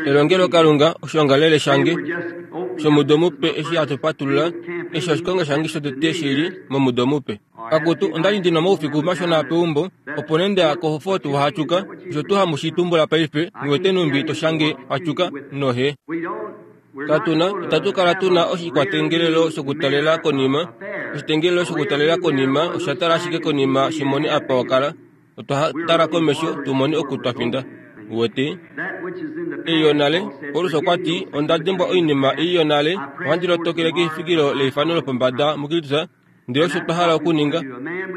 Elongelokalunga oshoongalele shange shomudo mupe eshi hatu patulula eshi oshikonga shange shotete shi li momudo mupe. Akutu, onda li ndi na omaufiku mashona peumbo, opo nee nda ya koFort Huachuca, osho tuu hamu shi tumbula paife, nghi wete nhumbi to shange Huachuca nohe. Katu na, itatu kala tu na oshikwatengelelo shokutalela konima. Oshitengelelo shokutalela konima osha tala ashike konima shi mone apa wa kala. Otwa tala komesho tu mone oku twa finda. Uwete? Ei yonale, Paulus okwa ti, Onda dimbwa oinima ei yonale, ohandi lotokele kefikilo leifano lopombada muKristus, Ndele osho twa hala okuninga.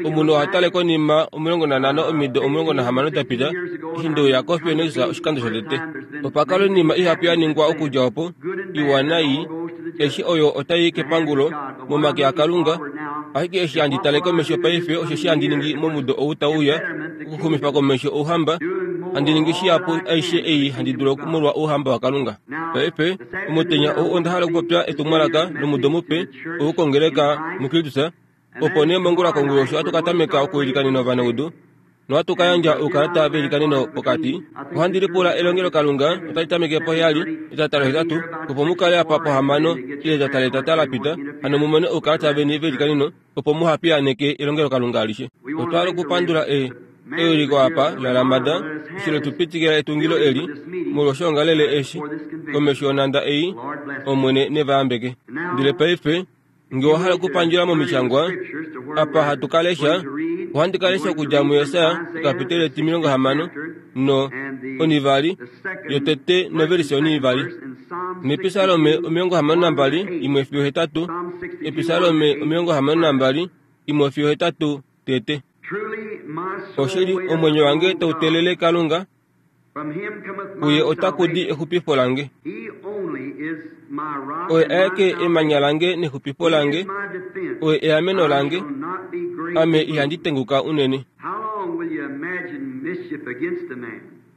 Omunhu oha tale konima 15 omido 16 da pita, eshi nde uya koPhoenix oshikando shotete. Opa kala oinima ihapu ya ningwa okudja opo, iwa naii, eshi oyo otai i kepangulo, momake aKalunga. Ashike eshi handi tale komesho paife osheshi handi ningi momudo ou tau uya, okuxumifa komesho Ouhamba, handi ningi shihapu aishe ei handi dulu molwa Ouhamba waKalunga. Paife, omutenya ou onda hala okupopya etumwalaka lomudo mupe, ou kongeleka muKristus, opo nee mongula konguloshi ohatu ka tameka okuilikanena ovanaudu nohatu ka yandja oukalata veilikaneno pokati. Ohandi lipula elongelokalunga otali tameke poheyali etata lohetatu, opo mu kale apa pohamano ile etata letata la pita, hano mu mone oukalata veni veilikaneno opo muha piyaaneke elongelokalunga alishe. Otwa hala okupandula e, ewiliko apa laLamada eshi le tu pitikila etungilo eli molwoshoongalele eshi komesho yonhanda ei, Omwene ne va yambeke. Ndele paife, nge owa hala okupandjula momishangwa apa hatu ka lesha, ohandi ka lesha okudja muJesaja ekapiteli etimilongo hamano no onivali yotete novelise onivali nEpisalome 62 imwe fiyo hetatu, Episalome 62 imwe fiyo hetatu tete. Oshili, omwenyo wange tau teelele Kalunga, kuye otaku di exupifo lange. Oye aeke emanya lange nexupifo lange, oye eameno lange, ame ihandi tenguka unene.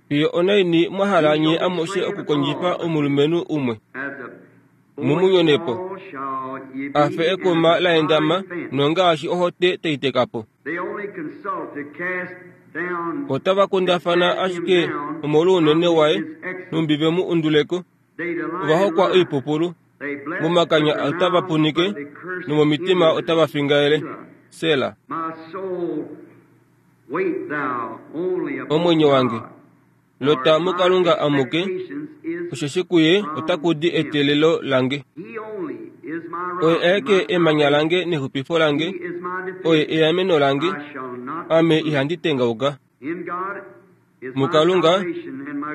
Fiyo onaini mwa hala nye amushe okukondjifa omulumenhu umwe, mu mu nyone po, a fe ekuma la endama nongaashi ohote tai teka po? Otava kundafana ashike omolwounene waye, nhumbi ve mu undule ko. Ova hokwa oipupulu, momakanya otava punike nomomitima otava fingaele. Sela. Omwenyo wange, lota muKalunga amuke, osheshi kuye otaku di eteelelo lange. Oye aeke emanya lange nexupifo lange, oye eameno lange, ame ihandi tengauka. MuKalunga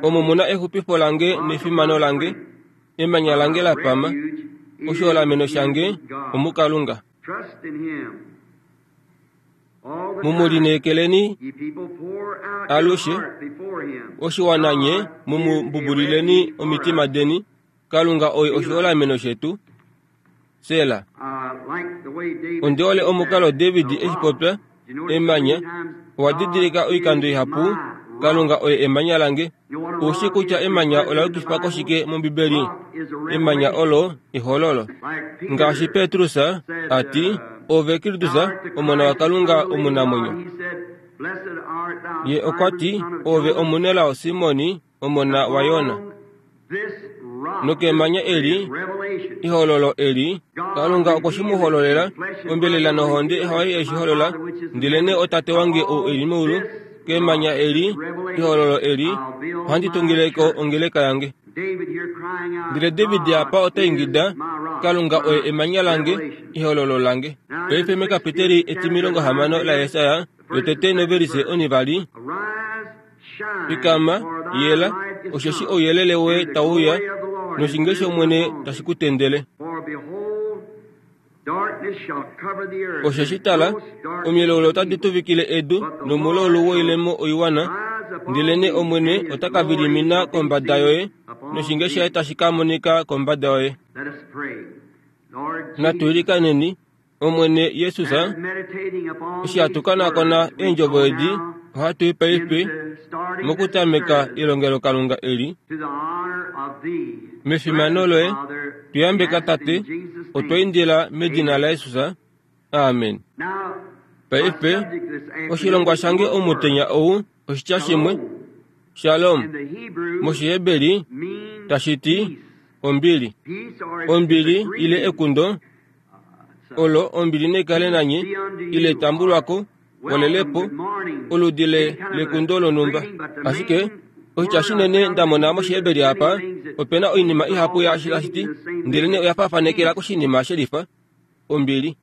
omo mu na exupifo lange nefimano lange, emanya lange la pama, oshiholameno shange omuKalunga. Mu mu lineekeleni alushe, oshiwana nye mu mu mbubulileni omitima deni, Kalunga oye oshiholameno shetu. Sela. Ondi hole omukalo David eshi popya, emanya. Owa didilika oikando ihapu, Kalunga oye emanya lange. Ou shii kutya emanya ola yukifwa koshike mOmbibeli? Emanya olo ehololo. Ngaashi Petrus a ti, Ove Kristus, Omona waKalunga omunamwenyo. Ye okwa ti, Ove omunelao Simoni, omona waYona. Nokemanya eli, ehololo eli, Kalunga okwe shi mu hololela, ombelela nohonde hayo ye shi holola, ndelenee oTate wange ou e li meulu, kemanya eli, ehololo eli, ohandi tungile ko ongeleka yange. Ndele David apa ota ingida, Kalunga oye emanya lange, ehololo lange. Paife mekapiteli etimilongo hamano laJesaja, yotete novelise onivali, Fikama, yela, osheshi ouyelele woye tau uya, noshinge shOmwene tashi ku tendele. Osheshi tala, omilaulu otadi tuvikile edu nomulaulu woilemo oiwana, ndelenee Omwene ota ka vilimina kombada yoye, noshinge shaye tashi ka monika kombada yoye. Natu ilikaneni. Omwene Jesus, eshi hatu konakona eendjovo edi, ohatu i paife mokutameka elongelokalunga eli. Mefimano loye, tu yambeka Tate, otwa indila medina laJesus. Amen. Paife, oshilongwa shange omutenya ou oshitya shimwe. Shalom mOshiheberi tashi ti ombili. Ombili ile ekundo olo ombili naikale nanye ile tambulwako walelepo oludi le lekundo lonhumba. Ashike oshitya shinene nda mona mOshiheberi apa, ope na oinima ihapu yaashi tashi ti, ndelenee oya faafanekela koshinima shelifa, ombili.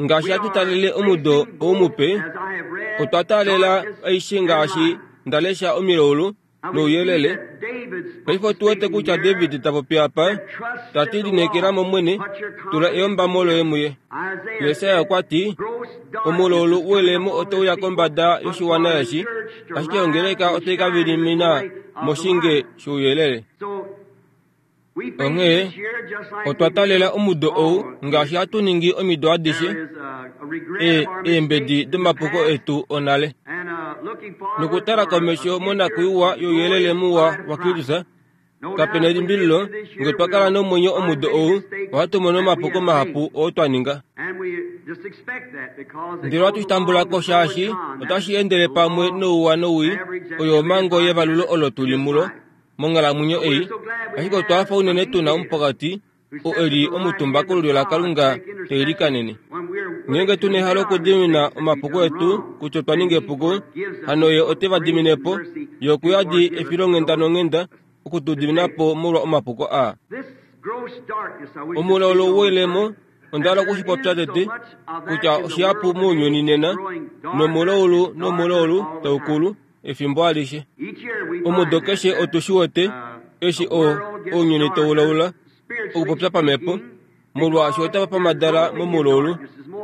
Ngaashi hatu talele omudo ou mupe, otwa taalela aishe ngaashi nda lesha omilaulu nouyelele. Paife otu wete kutya David ta popi apa, ta ti lineekela mOmwene, tula eyombamo loye muye. Jesaja okwa ti, Omulaulu welemo otau ya kombada yoshiwana eshi, ashike ongeleka otai ka vilimina moshinge shouyelele. Onghee otwa talela omudo ou ngaashi hatu ningi omido adishe, e, eembedi domapuko etu onale, nokutala komesho monakwiiwa youyelele muwa waKristus. Kape na elimbililo, nge twa kala nomwenyo omudo ou, ohatu mono omapuko mahapu oo twa ninga. Ndele ohatu shi tambula ko shaashi otashi endele pamwe nouwa nowii, oyo omhango yevalulo olo tu li mulo. Monghalamwenyo ei, ashike otwa hafa unene tu na omupokati oo e li omutumba kolulyo laKalunga te ilikanene. Ngeenge tu na ehalo okudimina omapuko etu kutya otwa ninga epuko, hano ye ote va dimine po, ye oku yadi efilonghenda nonghenda oku tu dimina po molwa omapuko aa. Omulaulu woilemo Onda hala oku shi popya tete kutya oshihapu mounyuni nena nomulaulu nomulaulu tau kulu efimbo alishe. Omudo keshe otu shi wete eshi o, ounyuni tau laula okupopya pamhepo, molwaashi otava pamadala momulaulu,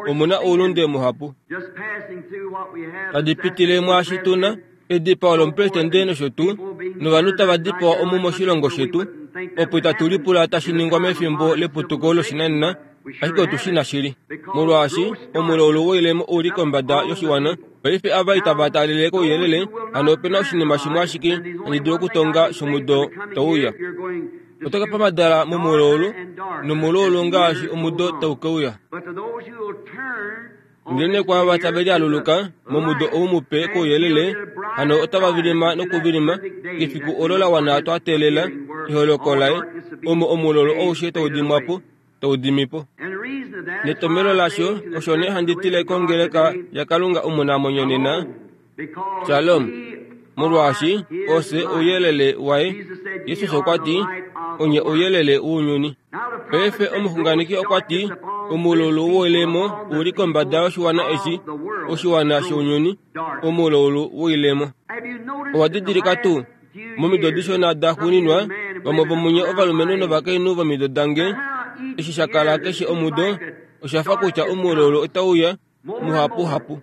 omu na oulunde muhapu. Tadi pitile mwaashi tu na, edipao lomupresidente nosho tuu, novanhu tava dipawa omu moshilongo shetu, opo itatu lipula tashi ningwa mefimbo leputuko loshinanena, ashike otu shi na shili. Molwaashi omulaulu woilemo ou li kombada yoshiwana, paife ava itava taalele kouyelele, hano ope na oshinima shimwe ashike handi dulu okutonga shomudo tau uya. Oto ka pamadala momulaulu, nomulaulu ngaashi omudo tau ke uya. Ndelenee kwaava tave lialuluka momudo ou mupe kouyelele, hano otava vilima nokuvilima kefiku olo la wana twa teelela eholoko laye, omo omulolo aushe tau dimwa po, tau dimi po. Netomhelo lasho osho nee handi tile kongeleka yaKalunga omunamwenyo nena, Shalom, molwaashi ofye ouyelele waye. Jesus okwa ti, Onye ouyelele wounyuni. Paife omuxunganeki okwa ti, Omulaulu woilemo u li kombada yoshiwana eshi, oshiwana shounyuni, omulaulu woilemo. Owa didilika tuu, momido dishona da xuuninwa, vamwe vomunye ovalumenhu novakainhu vomido dange, eshi sha kala keshe omudo, osha fa kutya omulaulu otau uya, muhapuhapu.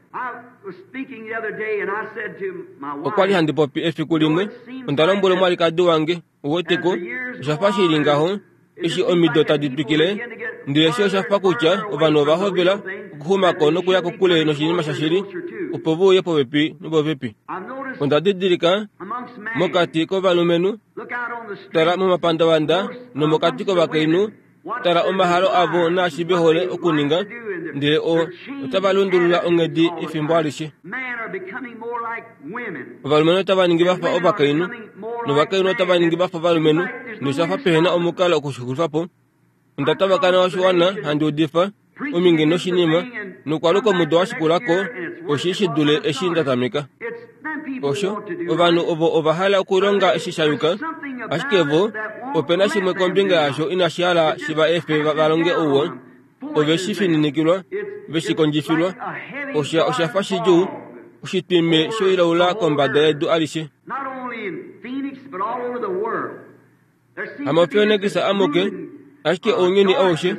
Okwa li handi popi efiku limwe, onda lombwela omwalikadi wange, uweteko, osha fa shi li ngaho, eshi omido tadi twikile, ndele eshi osha fa kutya ovanhu ova hovela okuxuma ko nokuya kokule noshinima shashili, opo ve uye popepi nopopepi. Onda didilika mokati kovalumenhu, tala momapandavanda nomokati kovakainhu, Tala omahalo avo naashi ve hole okuninga, ndele o, otava lundulula onghedi efimbo alishe. Ovalumenhu otava ningi va fa ovakainhu, novakainhu otava ningi va fa ovalumenhu, nosha fa pehe na omukalo oku shi xulifa po. Onda tavakana oshiwana handi udifa ominge noshinima, nokwaluka omudo wa shikula ko, oshi shi dule eshi nda tameka. Osho, ovanhu ovo ova hala okulonga eshi sha yuka, ashike vo, ope na shimwe kombinga yasho inashi hala shi va efe va longe ouwa. Ove shi fininikilwa, ve shi kondjifilwa. Osha, osha fa shidjuu, oshitwime shoilaula kombada yedu alishe. Hamofionekisa amuke, ashike ounyuni aushe,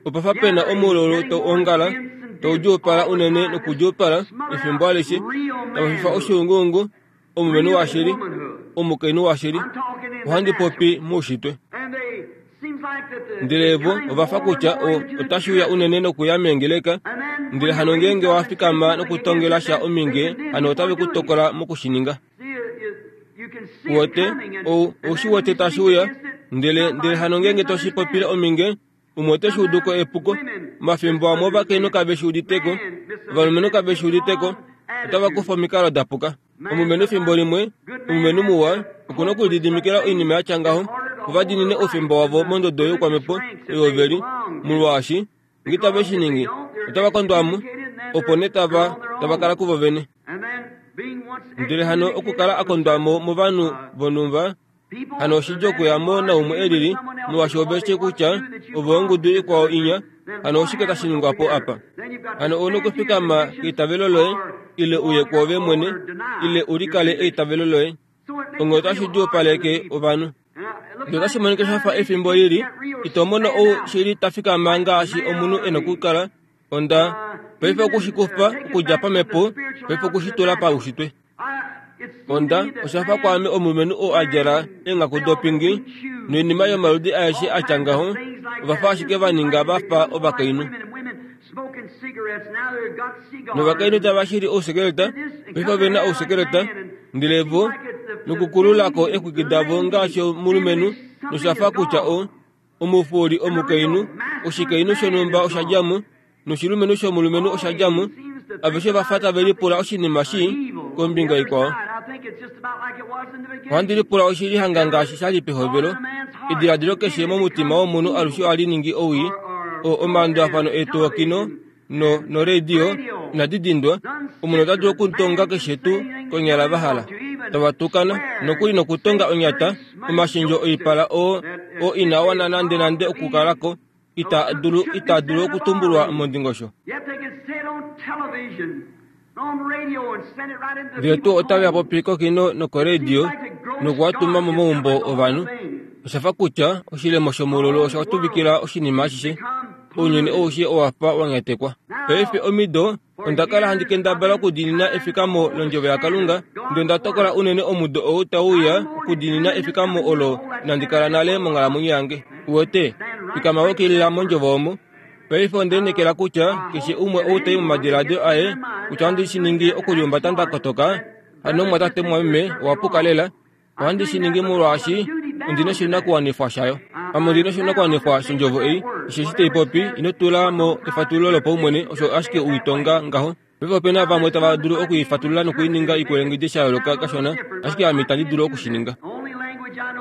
opa fa pe na omululu tau ongala, tau djuupala unene nokudjuupala efimbo alishe, tava fifa oshuunguungu, omulumenhu washili, omukainhu washili. Ohandi popi moushitwe. Ndele vo ova fa kutya o, otashi uya unene nokuya meengeleka, ndele hano ngeenge wa fikama nokutongela sha ominge, hano otave ku tokola moku shi ninga. Uwete, ou, ou shi wete tashi uya, ndele, ndele hano ngeenge to shi popile ominge, umwe ote shi udu ko epuko. Omafimbo amwe ovakainhu kave shi udite ko, ovalumenhu kave shi udite ko, otava kufa omikalo da puka. Omulumenhu efimbo limwe, omulumenhu muwa, oku na okulididimikila oinima ya tya ngaho, opo va diinine oufemba wavo mondodo youkwamhepo oyo ve li, molwaashi nge tave shi ningi, otava kondwa mo, opo nee tava, tava kala kuvo vene. Ndele hano okukala a kondwa mo movanhu vonhumba, hano oshidjuu okuya mo naumwe e lili, molwaashi ove shii kutya ove ongudu ikwao inya. Hano oshike tashi ningwa po apa? Hano ou na okufikama keitavelo loye, ile uye kwoove mwene, ile u likale eitavelo loye. Onghee otashi djuupaleke ovanhu. Ndele otashi monika sha fa efimbo lili, ito mono ou shili ta fikama ngaashi omunhu e nokukala. Onda paife oku shi kufa okudja pamhepo, paife oku shi tula paushitwe. Onda osha fa kwaame omulumenhu oo a djala eenghaku dopingi noinima yomaludi aeshe a tya ngaho, ova fa ashike va ninga va fa ovakainhu. Novakainhu tava shili ousekeleta, paife ove na ousekeleta, ndele vo nokukulula ko eexwiki davo ngaashi omulumenhu, nosha fa kutya o, omufuuli omukainhu, oshikainhu shonhumba osha dja mo, noshilumenhu shomulumenhu osha dja mo, aveshe va fa tave lipula oshinima shii kombinga ikwao. Ohandi lipula oshili hanga ngaashi sha li pehovelo, ediladilo keshe momutima womunhu alushe ohali ningi owii, o omalandulafano etu okino no noradio inadi dindwa, omunhu ota dulu okutonga keshe tuu konyala va hala, tava tukana, nokuli nokutonga onyata, omashendjo oipala oo oo inaa wana nandenande okukala ko, ita dulu ita dulu okutumbulwa mondingosho. Ndele tuu otave a popi kokino nokoradio noku a tuma momaumbo ovanhu. Osha fa kutya oshilemo shomululu osha tuvikila oshinima ashishe. Ounyuni aushe owa fa wa nyatekwa. Paife omido onda kala handi kendabala okudiinina efikamo lOndjovo yaKalunga, ndele onda tokola unene omudo ou tau uya okudiinina efikamo olo inandi kala nale monghalamwenyo yange. Uwete, fikama we kilila mOndjovo omo. Paife onde lineekela kutya keshe umwe ou ta i momadiladilo aye kutya ohandi shi ningi okulihumbata nda kotoka, hano omumwatate mumwameme, owa puka lela. Ohandi shi ningi molwaashi ondi na oshinakuwanifwa shayo. Ame ondi na oshinakuwanifwa shondjovo ei, osheshi tai popi, ino tula mo efatululo lopaumwene, osho ashike u i tonga ngaho. Paife ope na vamwe tava dulu oku i fatulula noku i ninga ikwelengedje sha yooloka kashona, ashike ame itandi dulu oku shi ninga.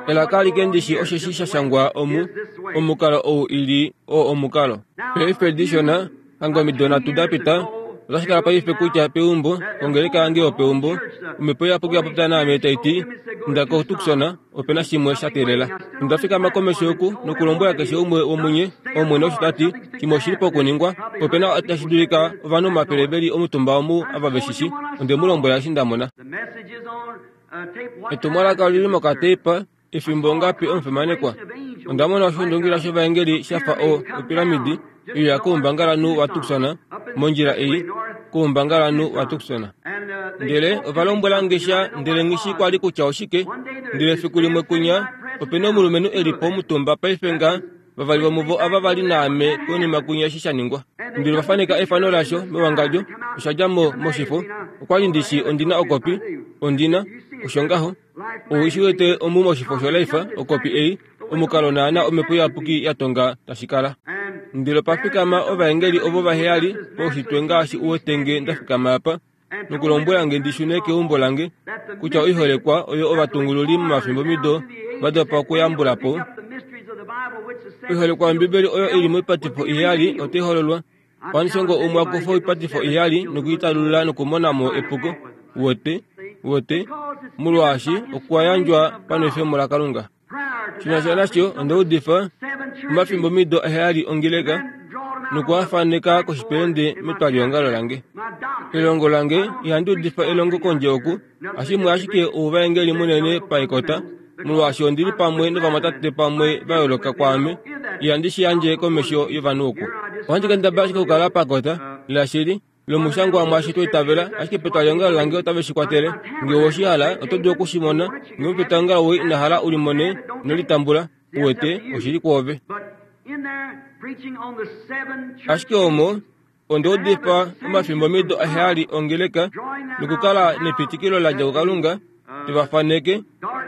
Elaka alike ndi shi osheshi sha shangwa omu, omukalo ou i li oo omukalo. Paife dishona, Hanga omido nhatu da pita, otashi kala paife kutya peumbo, kongeleka yange yopeumbo, Omhepo Iyapuki ya popya naame tai ti, Inda koTucson, ope na shimwe sha teelela. Onda fikama komesho oku nokulombwela keshe umwe womunye, Omwene osho ta ti, shimwe oshi li pokuningwa. Ope na tashi dulika ovanhu omafele ve li omutumba omu ava ve shi shi. Onde mu lombwela eshi nda mona. Etumwalaka oli li mokateipa. Efimbo ongapi omufimanekwa? Onda mona oshundungila shovaengeli sha fa o, opiramidi oyo ya koumbangalanhu waTucson, mondjila ei, koumbangalanhu waTucson. Ndele ova lombwela nge sha, ndele nghi shii kwali kutya oshike. Ndele efiku limwe kwinya, ope na omulumenhu e li po omutumba paife nga, vavali vomuvo ava va li naame konima kwinya eshi sha ningwa. Ndele ova faneka efano lasho mewangadjo, osha dja mo moshifo. Okwali ndi shii ondi na okopi, ondi na, osho ngaho. Ou shi wete omu moshifo shoLife, okopi ei, omukalo naana Omhepo Iyapuki ya tonga tashi kala. Ndele opa fikama ovaengeli ovo vaheyali poushitwe ngaashi u wete nge nda fikama apa, nokulombwela nge ndi shune keumbo lange, kutya oiholekwa oyo ovatungululi momafimbomido va dopa okuyambula po. Oiholekwa yOmbibeli oyo i li moipatifo iheyali otai hololwa. Omushongo umwe a kufa oipatifo iheyali noku i talulula nokumona mo epuko. Uwete? Uwete? Molwaashi okwa yandjwa panwefemo laKalunga. Shi na sha nasho, onda udifa omafimbomido aheyali ongeleka noku a faneka koshipelende metwaliongalo lange. Elongo lange, ihandi udifa elongo kondje oku, Hashimwe ashike ouvaengeli munene paekota, molwaashi ondi li pamwe novamwatate pamwe va yooloka kwaame, ihandi shi yandje komesho yovanhu oku. Ohandi kendabala ashike okukala pakota, lashili, lomushangwa mwaashi twa itavela, ashike petwaliongalo lange otave shi kwatele. Nge owe shi hala, oto dulu oku shi mona. Nge omupetwaliongalo woye ina hala u li mone, ino li tambula. Uwete, oshi li kwoove. Ashike omo, Onda udifa omafimbomido aheyali ongeleka nokukala nepitikilo la dja kuKalunga tu va faneke,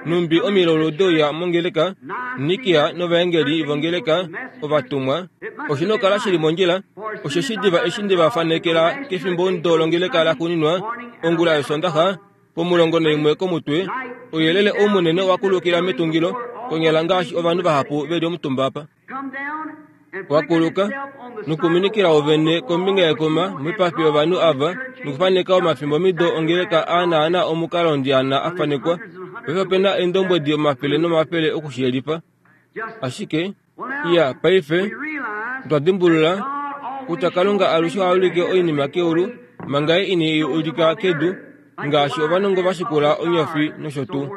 nhumbi omilaulu de uya mongeleka, Nikia novaengeli vongeleka, ovatumwa. Oshi nokukala shi li mondjila, osheshi diva eshi nde va fanekela kefimbomudo longeleka laxuuninwa, ongula yOsondaxa. Pomulongo naimwe komutwe, ouyelele ou munene owa kulukila metungilo, konyala ngaashi ovanhu vahapu ve li omutumba apa. Wa kuluka nokuminikila wovene kombinga yekuma moipafi yovanhu ava nokufaneka omafimbomido ongeleka a naana omukalo ndiana a fanekwa. Paife ope na eendombwedi omafele nomafele oku shi yelifa. Ashike, iya, paife otwa dimbulula kutya Kalunga alushe oha ulike oinima keulu manga Ye ine i ulika kedu, ngaashi ovanongo va shikula onyofi nosho tuu.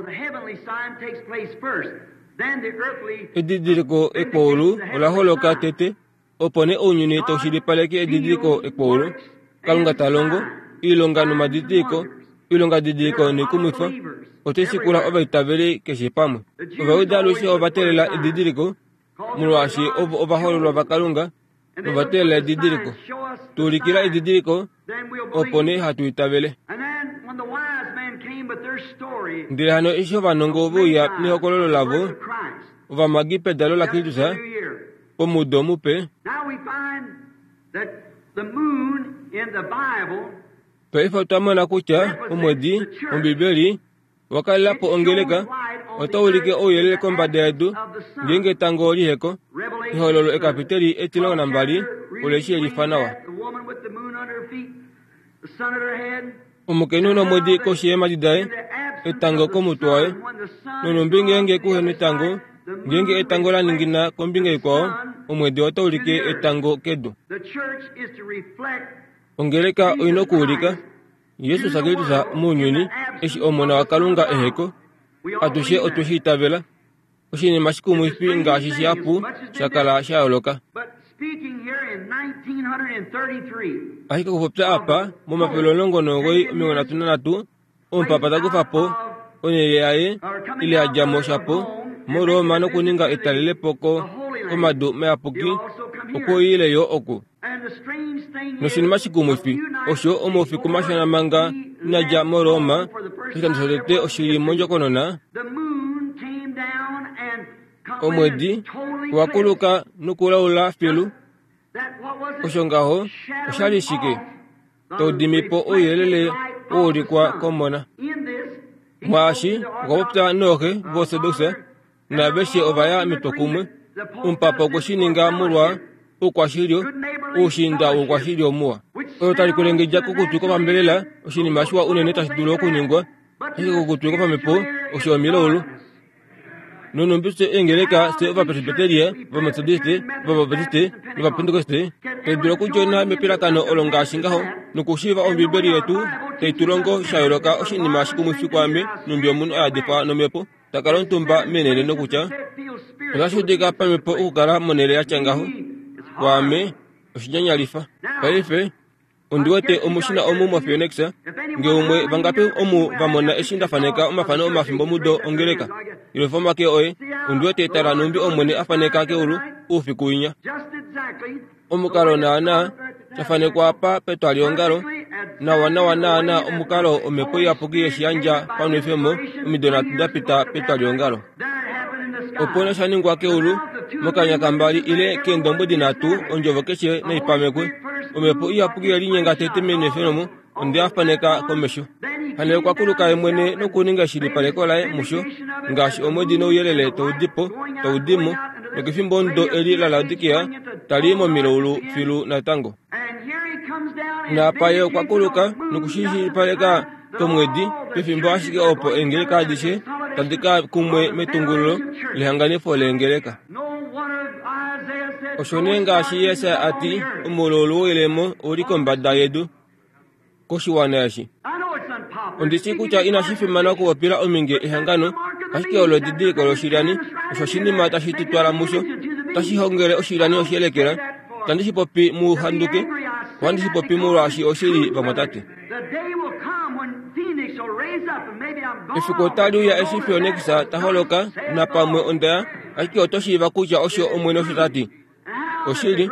Edidiliko ekwaulu ola holoka tete, opo nee ounyuni tau shilipaleke edidiliko ekwaulu. Kalunga ta longo oilonga nomadidiliko, oilongadidiliko noikumwifa, ote shikula ovaitaveli keshe pamwe. Ovajuda alushe ova teelela edidiliko, molwaashi ovo ovahoololwa vaKalunga nova teelela edidiliko. Tu ulikila edidiliko, opo nee hatu itavele. Ndele hano eshi ovanongo ve uya nehokololo lavo, ovamagi pedalo laKristus pomudo mupe, Paife otwa mona kutya omwedi, Ombibeli, wa kalela po ongeleka, otau ulike ouyelele kombada yedu ngeenge etango liheko. Ehololo ekapiteli 12 ole shi yelifa nawa. Omukainhu nomwedi koshi yeemhadi daye, etango komutwe waye. Nonhumbi ngeenge kuhe netango, ngeenge etango la ningina kombinga ikwao, omwedi otau ulike etango kedu. Ongeleka oi na okuulika Jesus Kristus mounyuni eshi Omona waKalunga eheko. Atushe otwe shi itavela. Oshinima shikumwifi ngaashi shihapu sha kala sha yooloka. Ashike okupopya apa, momafele 19 33, omupapa ta kufa po onhele yaye ile a dja mo shapo moRoma nokuninga etalelepo ko komadu mayapuki okwe uyile yo oku. Noshinima shikumwifi osho omaufiku mashona manga ina dja moRoma, oshikando shotete oshi li mondjokonona, omwedi owa kuluka nokulaula filu. Osho ngaho osha li shike? Tau dimi po ouyelele wa ulikwa komona. Mwaashi okwa popya nooxe vOortodoks naaveshe ova ya metwokumwe. Omupapa okwe shi ninga molwa oukwashilyo, oushiinda woukwashilyo muwa. Olo tali kwelengedja kokutwi kwopambelela, oshinima shiwa unene tashi dulu okuningwa, ashike kokutwi kwopamhepo osho omilaulu. Nonhumbi fye eengeleka, fye Ovapresbiteria, Ovametodiste, Ovabaptiste nOvapentekoste, tai dulu okudjona mepilakano olo ngaashi ngaho, nokushiiva Ombibeli yetu tai tu longo sha yooloka oshinima shikumwifi kwaame nhumbi omunhu a yadifwa nomhepo ta kala omutumba meenhele nokutya otashi udika pamhepo okukala monhele ya tya ngaho. Kwaame, oshinyanyalifa. Paife, Ondi wete omushina omu moPhoenix, nge umwe vangapi omu va mona eshi nda faneka omafano omafimbomudo ongeleka. Yelufa omake oye, ondi wete tala nhumbi Omwene a faneka keulu oufiku winya. Omukalo naana sha fanekwa apa petwaliongalo, nawa nawa naana omukalo Omhepo Iyapuki yeshi yandja panwefemo omido nhatu da pita petwaliongalo. Opo nee sha ningwa keulu, mokanya kambali ile keendombwedi nhatu, ondjovo keshe nai pamekwe. Omhepo Iyapuki ye linyenga tete menwefemo, onde a faneka komesho. Hano okwa kuluka ye mwene nokuninga eshilipaleko laye musho, ngaashi omwedi nouyelele tau di po, tau di mo, nokefimbo omudo eli laLaodikea tali i momilaulu filu natango. Naapa ye okwa kuluka nokushilipaleka komwedi, pefimbo ashike opo eengeleka adishe tadi ka kumwe metungululo lehanganifo leengeleka. Osho nee ngaashi Jesaja a ti, Omulaulu woilemo ou li kombada yedu koshiwana eshi. Ondi shii kutya inashi fimana okupopila ominge ehangano, ashike olo edidiliko loshilyani, osho oshinima tashi tu twala musho, tashi hongele oshilyani oshiyelekela. Itandi shi popi mu handuke, ohandi shi popi molwaashi oshili, vamwatate. Efiku otali uya eshi Phoenix ta holoka, napamwe onda ya, ashike oto shiiva kutya osho Omwene osho ta ti. Oshili,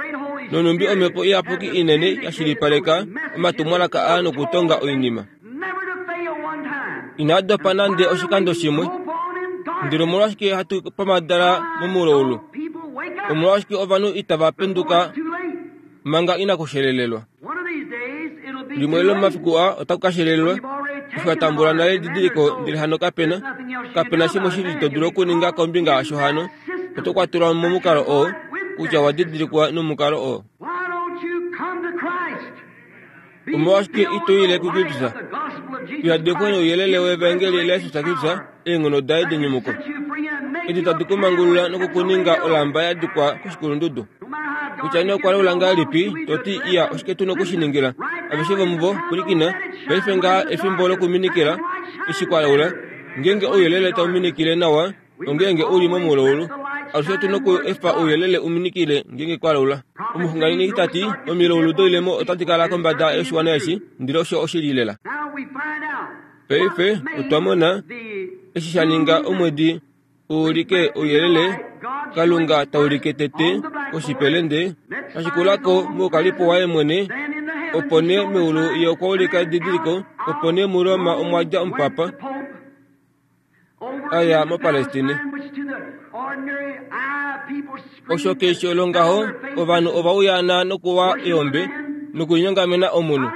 nonhumbi Omhepo Iyapuki inene ya shilipaleka omatumwalaka aa nokutonga oinima. Inaa dopa nande oshikando shimwe. Ndele omolwashike hatu pamadala momulaulu? Omolwashike ovanhu itava penduka manga inaku shelelelwa? Limwe lomomafiku aa otaku ka shelelelwa. Eshi wa tambula nale edidiliko, ndele hano kapena, kapena shimwe shili to dulu okuninga kombinga yasho hano. Oto kwatelwa momukalo oo, kutya wa didilikwa nomukalo oo. Omolwashike ito ile kuKristus? Uyadekwe nouyelele wEvaengeli laJesus Kristus, eenghono daye denyumuko, edi tadi ku mangulula noku ku ninga olamba ya dikwa koshikulundudu. Kutya nee okwa laula ngahelipi, to ti, Iya, oshike tu na oku shi ningila? Aveshe vomuvo, pwilikina, paife ngaha efimbo lokuminikila, eshi kwa laula. Ngeenge ouyelele tau minikile nawa, nongeenge u li momulaulu, alushe otu na oku efa ouyelele u minikile ngeenge kwa laula. Omuxunganeki ta ti, Omilaulu doilemo otadi kala kombada yoshiwana eshi, ndele osho oshili lela. Paife otwa mona eshi sha ninga omwedi u ulike ouyelele, Kalunga ta ulike tete koshipelende, ta shikula ko moukalipo waye mwene, opo nee meulu ye okwa ulika edidiliko, opo nee muRoma omwa dja omupapa a ya moPalestine. Osho keshe longaho, ovanhu ova uyaana nokuwa eombe nokulinyongamena omunhu.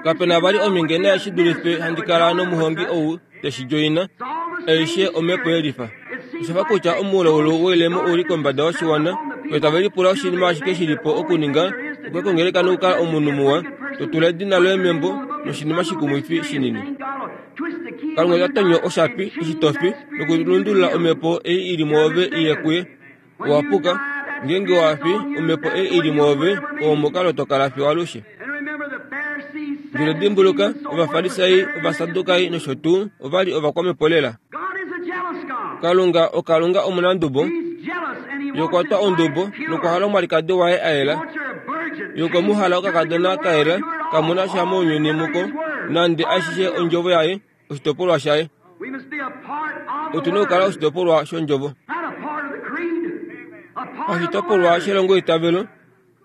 Kape na vali omhinge naye shi dulife handi kala nomuhongi ou te shi djoina. Aishe omhepo yelifa. Osha fa kutya omulaulu woilemo u li kombada yoshiwana, yo tave lipula oshinima ashike shi li po okuninga, okuya kongeleka nokukala omunhu muwa, to tula edina loye membo, noshinima shikumwifi shinini. Kalunga ota tonyo oshapi eshi to fi nokulundulula omhepo ei i li mwoove i ye kuye. Owa puka. Ngeenge wa fi, omhepo ei i li mwoove oo omukalo to kala fiyo alushe. Ndele dimbuluka, Ovafarisai, Ovasadukai nosho tuu ova li ovakwamhepo lela. Kalunga oKalunga omunandubo. Ye okwa twa ondubo nokwa hala omwalikadi waye a yela. Ye okwe mu hala okakadona ka yela, kamu na sha mounyuni muko, nande ashishe ondjovo yaye, oshitopolwa shaye. Otu na okukala oshitopolwa shondjovo. Oshitopolwa shelongoitavelo,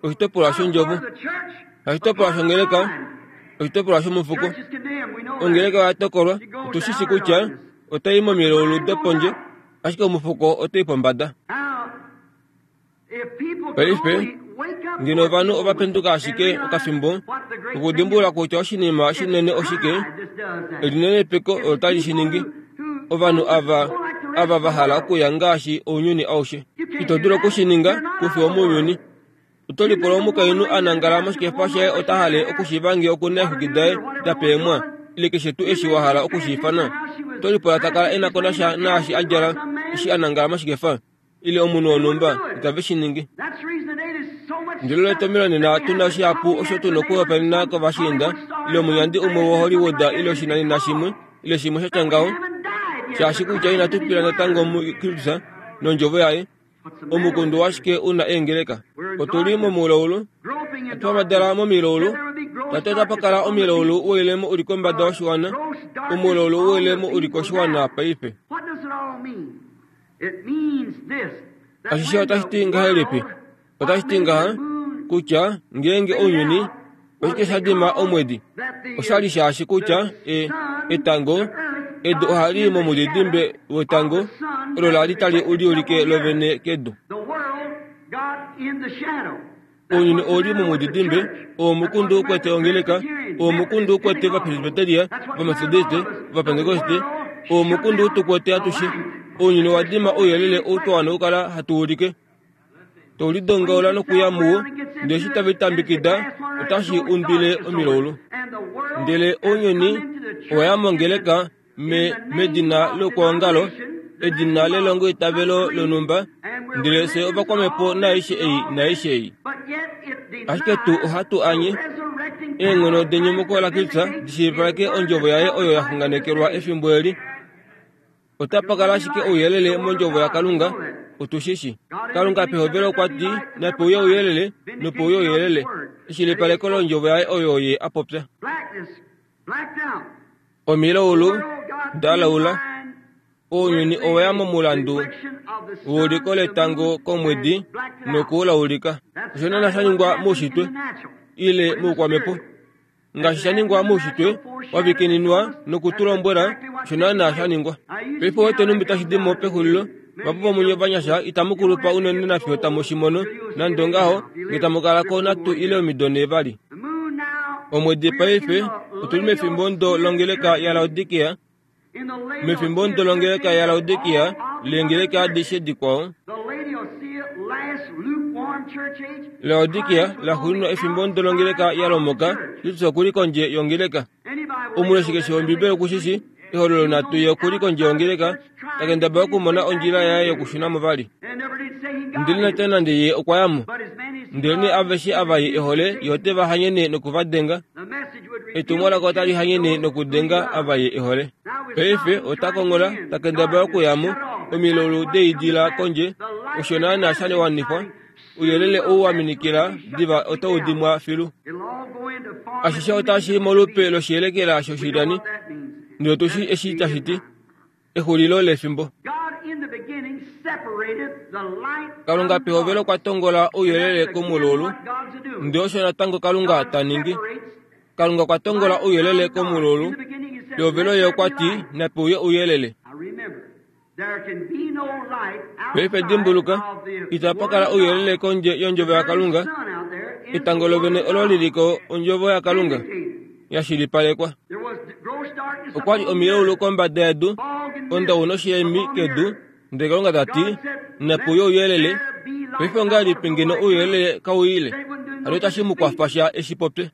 oshitopolwa shondjovo. Oshitopolwa shongeleka, oshitopolwa shomufuko. Ongeleka oya tokolwa, otu shi shi kutya otai momilaulu dopondje, ashike omufuko otai pombada. Paife, ngeno ovanhu ova penduka ashike okafimbo okudimbulula kutya oshinima shinene oshike, elinenepeko olo tali shi ningi. Ovanhu ava, ava va hala okuya ngaashi ounyuni aushe. Ito dulu oku shi ninga, ku fi womounyuni. Oto lipula omukainhu a nangala moshikefa shaye ota hale okushiiva ngee oku na eexwiki daye da peemwa, ile keshe tuu eshi wa hala oku shi ifana. Oto lipula ta kala e na ko nasha naashi a djala eshi a nangala moshikefa, ile omunhu wonhumba, itave shi ningi. Ndele olo etomhelo nena tu na shihapu osho tu na okuhopaenena kovashiinda, ile omunyandi umwe woHollywood ile oshinanena shimwe, ile shimwe sha tya ngaho, shaashi kutya inatu pila natango muKristus nOndjovo yaye. Omukundu washike u na eengeleka? Otu li momulaulu, hatu hamadala momilaulu, tate otapa kala omilaulu woilemo u li kombada yoshiwana, omulaulu woilemo u li koshiwana paife. Ashishe otashi ti ngahelipi? Otashi ti ngaha kutya ngeenge ounyuni oshike sha dima omwedi, osha li shaashi kutya e, etango edu ohali i momudidimbe wetango olo la li tali liulike lovene kedu. Ounyuni ou li momudidimbe, oo omukundu u kwete ongeleka, oo omukundu u kwete Ovapresbiteria, Ovametodiste, Ovapentekoste, oo omukundu u tu kwete atushe. Ounyuni owa dima ouyelele ou twa wana okukala hatu ulike. To lidongaula nokuya muwo, ndele eshi tave litambekida, otashi undwile omilaulu. Ndele ounyuni owa ya mongeleka me, medina lokwoongalo, edina lelongoitavelo lonhumba, ndele fye ovakwamhepo naaishe ei naaishe ei. Ashike tu ohatu anye eenghono denyumuko laKristus di shilipaleke ondjovo yaye oyo ya xunganekelwa efimbo eli. Otapa kala ashike ouyelele mondjovo yaKalunga, otu shi shi. Kalunga pehovelo okwa ti, Nape uye ouyelele, nope uye ouyelele. Eshilipaleko londjovo yaye oyo ye a popya. Omilaulu da laula. Ounyuni owa ya momulandu weuliko letango komwedi noku u laulika. Osho naana sha ningwa moushitwe ile moukwamhepo. Ngaashi sha ningwa moushitwe wa vikininwa noku tu lombwela osho naana sha ningwa. Paife wete numbi tashi di mo pexulilo. Vahapu vomunye ovanyasha itamu kulupa unene nafiyo tamu shi mono, nande ongaho, nge tamu kala ko natu ile omido nhee vali. Omwedi paife Otu li mefimbo ndo longeleka yaLaodikia, mefimbo ndo longeleka yaLaodikia, leengeleka adishe dikwao. Laodikia laxuuninwa efimbo ndo longeleka yalomoka, Kristus oku li kondje yongeleka. Omuleshi keshe wOmbibeli oku shi shii, ehololo natu ye oku li kondje yongeleka, ta kendabala okumona ondjila yaye yokushuna mo vali. Ndele nate nande ye okwa ya mo. Ndelenee aveshe ava ye e hole, ye ote va hanyene noku va denga. Etumwalaka otali hanyene nokudenga ava ye e hole. Paife ota konghola, ta kendabala okuya mo, omilaulu deidila kondje, osho naanaa sha wanifwa. Ouyelele ou wa minikila diva otau dimwa filu. Ashishe otashi i molupe loshiyelekela shoshilyani, ndele otu shii eshi tashi ti. Exulilo lefimbo. Kalunga pehovelo okwa tongola ouyelele komulaulu, ndele osho natango Kalunga ta ningi. Kalunga okwa tongola ouyelele komulaulu. Pehovelo ye okwa ti, Nape uye ouyelele. Paife dimbuluka, itapa kala ouyelele kondje yondjovo yaKalunga. Etango lovene olo li li ko ondjovo yaKalunga ya shilipalekwa. Okwa li omilaulu kombada yedu, ondau noshiyemi kedu, ndele Kalunga ta ti, Nape uye ouyelele. Paife ongahelipi ngeno ouyelele kau ile? Hano itashi mu kwafa sha eshi popye.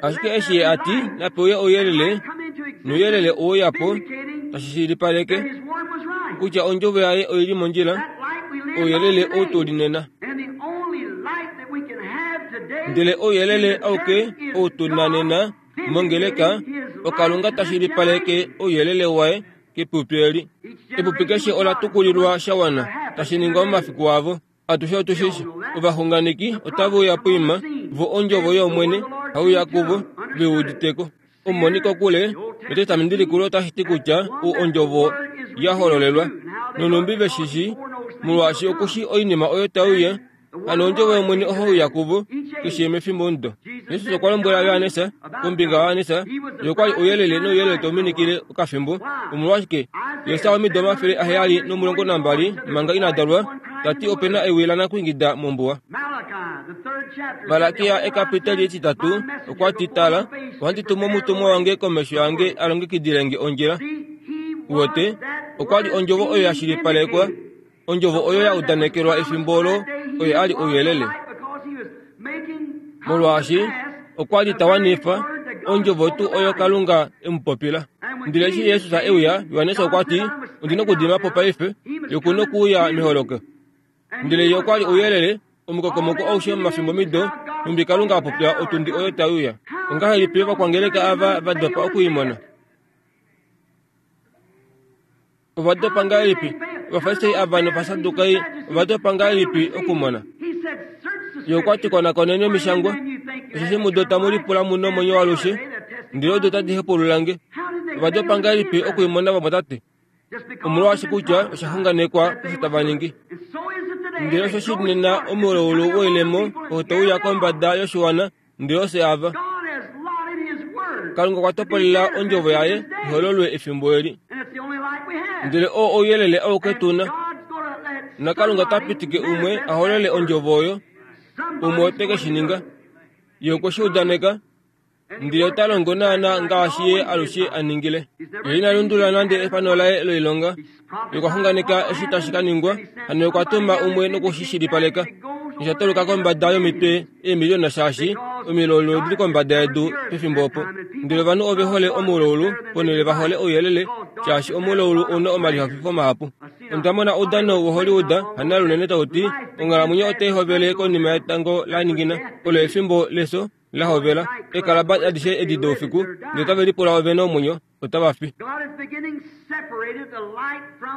Ashike eshi ye a ti, Nape uye ouyelele, nouyelele owe uya po, tashi shilipaleke kutya ondjovo yaye oi li mondjila, ouyelele ou tu li nena. Ndele ouyelele auke ou tu na nena mongeleka, oKalunga ta shilipaleke ouyelele waye kepupi eli. Epupi keshe ola tukulilwa sha wana, tashi ningwa momafiku avo. Atushe otu shi shi, ovaxunganeki otave uya poima, vo ondjovo yOmwene hai uya kuvo, ve udite ko. Omumoni kokule nEtestamenti Likulu otashi ti kutya u ondjovo ya hololelwa, nonhumbi ve shi shii, molwaashi oku shii oinima oyo tai uya, hano ondjovo yOmwene ohai uya kuvo keshe mefimbomudo. Jesus okwa lombwela Johannes kombinga yaJohannes, ye okwa li ouyelele nouyelele tau minikile okafimbo. Omolwashike? Jesus omido 712 manga ina dalwa, ta ti ope na ewi lanakwingida mombuwa. Malakia ekapiteli etitatu okwa ti, Tala, ohandi tumu omutumwa wange komesho yange a longekidile nge ondjila. Uwete, okwa li ondjovo oyo ya shilipalekwa, ondjovo oyo ya udanekelwa efimbo olo oye a li ouyelele. Molwaashi okwa li ta wanifa ondjovo tuu oyo Kalunga e mu popila. Ndele eshi Jesus e uya, Johannes okwa ti, Ondi nokudima po paife, ye oku nokuuya meholoko. Ndele ye okwa li ouyelele, omukokomoko aushe momafimbo mido, nhumbi Kalunga a popya otundi oyo tai uya. Ongahelipi ovakwangeleka ava va dopa oku i mona? Ova dopa ngahelipi? Ovafarisai ava nOvasadukai ova dopa ngahelipi okumona? Ye okwa ti, Konakoneni Omishangwa, osheshi mudo tamu lipula mu nomwenyo waalushe, ndele odo tadi hepaulula nge. Ova dopa ngahelipi oku i mona, vamwatate? Omolwaashi kutya osha xunganekwa osho tava ningi. Ndele osho shi li nena omulaulu woilemo oo tau uya kombada yoshiwana, ndele ofye ava. Kalunga okwa topolela ondjovo yaye ihololwe efimbo eli. Ndele oo ouyelele auke tu na. NaKalunga ota pitike umwe a holole ondjovo oyo, umwe ote ke shi ninga. Ye okwe shi udaneka, ndele ota longo naanaa ngaashi ye alushe a ningile. Ye ina lundulula nande efano laye loilonga. Ye okwa xunganeka eshi tashi ka ningwa, hano ye okwa tuma umwe noku shi shilipaleka. Nosha toluka kombada yomitwe eemiliona shaashi omilaulu odi li kombada yedu pefimbo opo. Ndele ovanhu ove hole omulaulu ponhele va hole ouyelele, shaashi omulaulu ou na omalihafifo mahapu. Onda mona oudano woHollywood hana lunene tau ti, Onghalamwenyo otai hovele konima yetango la ningina. Olo efimbo lefyo la hovela. Eekalaba adishe edi doufiku, ndele otave lipula ovene omwenyo, otava fi.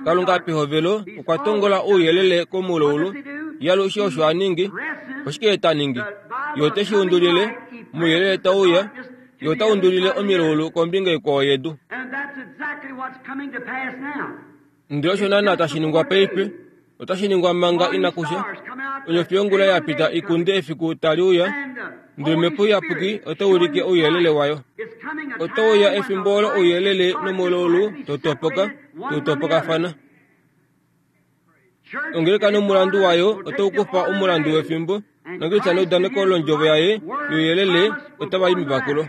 Kalunga pehovelo okwa tongola ouyelele komulaulu. Ye alushe osho a ningi. Oshike ye ta ningi? Ye ote shi undulile mouyelele tau uya. Ye ota undulile omilaulu kombinga ikwao yedu. Ndele osho naanaa tashi ningwa paife. Otashi ningwa manga inaku sha. Onyofi yongula ya pita i kunde efiku tali uya, ndele Omhepo Iyapuki otai ulike ouyelele wayo. Otau uya efimbo olo ouyelele nomulaulu tau topoka, tau topokafana. Ongeleka nomulandu wayo otau kufa omulandu wefimbo. NaKristus neudaneko londjovo yaye youyelele otava i mevakulo.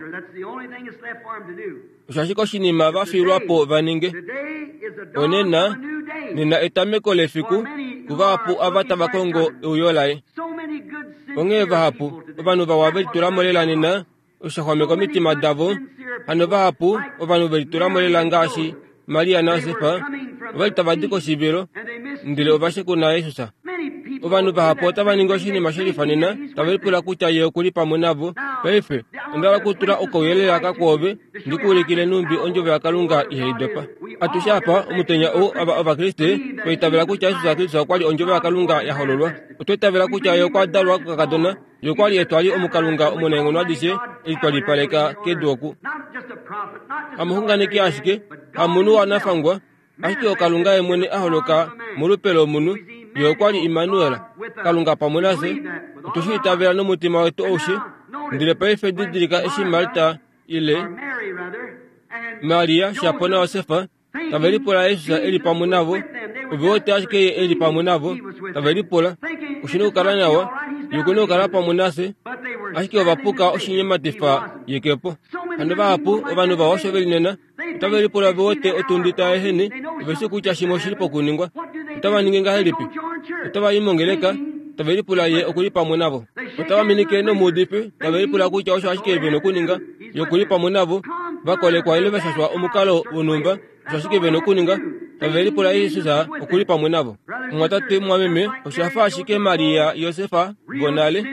Osho ashike oshinima va fiilwa po va ninge. Onena, nena etameko lefiku kuvahapu ava tava kongo euyo laye. Onghee vahapu ovanhu vawa ve litula mo lela nena osho sha xwameka omitima davo. Hano vahapu ovanhu ve litula mo lela ngaashi Maria naJosef ova li tava di koshivilo ndele ova shekuna Jesus. Ovanhu vahapu otava ningi oshinima she lifa nena, tave lipula kutya ye oku li pamwe navo. Paife, onda hala okutula okauyelele aka kwoove ndi ku ulikile nhumbi Ondjovo yaKalunga ihai dopa. Atushe apa, omutenya ou, ava Ovakriste, twa itavela kutya Jesus Kristus okwa li Ondjovo yaKalunga ya hololwa. Otwa itavela kutya Ye okwa dalwa kokakadona, Ye okwa li etwali omuKalunga omunaenghono adishe eli twa lipaleka kedu oku. Hamuxunganeki ashike, hamunhu wanafangwa, ashike oKalunga Ye mwene a holoka molupe lomunhu. Ye okwa li Immanuel, Kalunga pamwe nafye. Otwe shi itavela nomutima wetu aushe. Ndele paife didilika eshi Marta ile Maria shapo naJosef tave lipula Jesus e li pamwe navo. Ove wete ashike ye e li pamwe navo, tave lipula, Oshi na okukala nawa, ye oku na okukala pamwe nafye. Ashike ova puka oshinyematifa ye ke po. Hano vahapu ovanhu vawa osho ve li nena, otave lipula ve wete otundi tai ehene, ove shii kutya shimwe oshi li pokuningwa. Otava ningi ngahelipi? Otava i mongeleka, tave lipula ye oku li pamwe navo. Otava minike nomuudifi, tave lipula kutya osho ashike ve na okuninga, ye oku li pamwe navo. Va kolekwa ile va shashwa omukalo wonhumba, osho ashike ve na okuninga, tave lipula Jesus oku li pamwe navo. Mumwatate, mumwameme, osha fa ashike Maria, Josef vonale.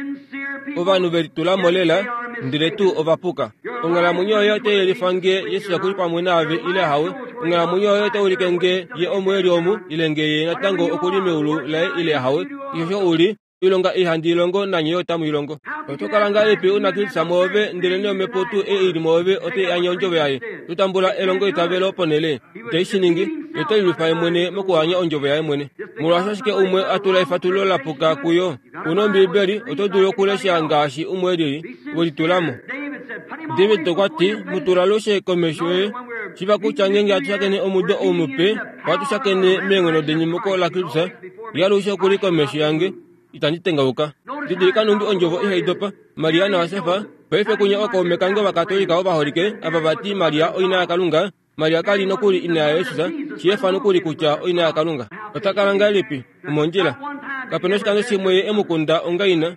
Ovanhu ve litula mo lela, ndele tuu ova puka. Onghalamwenyo yoye otai yelifa nge Jesus oku li pamwe naave ile ahawe. Onghalamwenyo yoye otai ulike nge ye omo e li omu ile nge ye natango oku li meulu laye ile ahawe. Keshe osho u li, oilonga ei handi i longo nanye yo otamu i longo. Oto kala ngahelipi u na Kristus mwoove, ndelenee Omhepo tuu ei i li mwoove otai anye ondjovo yaye? To tambula elongoitavelo ponhele ite shi ningi, ye ote lilwifa ye mwene mokuhanya ondjovo yaye mwene. Molwaashi ashike umwe a tula efatululo la puka kuyo, u na Ombiibeli, oto dulu okulesha ngaashi umwe e lili, we litula mo. David okwa ti, Mu tula alushe komesho yoye. Shiiva kutya ngeenge hatu shakene omudo ou mupe, ohatu shakene meenghono denyumuko laKristus, ye alushe oku li komesho yange. Itandi tengauka. Didilika nhumbi ondjovo ihai dopa. Maria naJosef, paife kunya ookaume kange Ovakatolika ovaholike, ava va ti Maria oina yaKalunga, Maria ka li nokuli ina yaJesus, shi efa nokuli kutya oina yaKalunga. Ota kala ngahelipi? Omondjila. Kape na oshikando shimwe ye e mu kunda onga ina.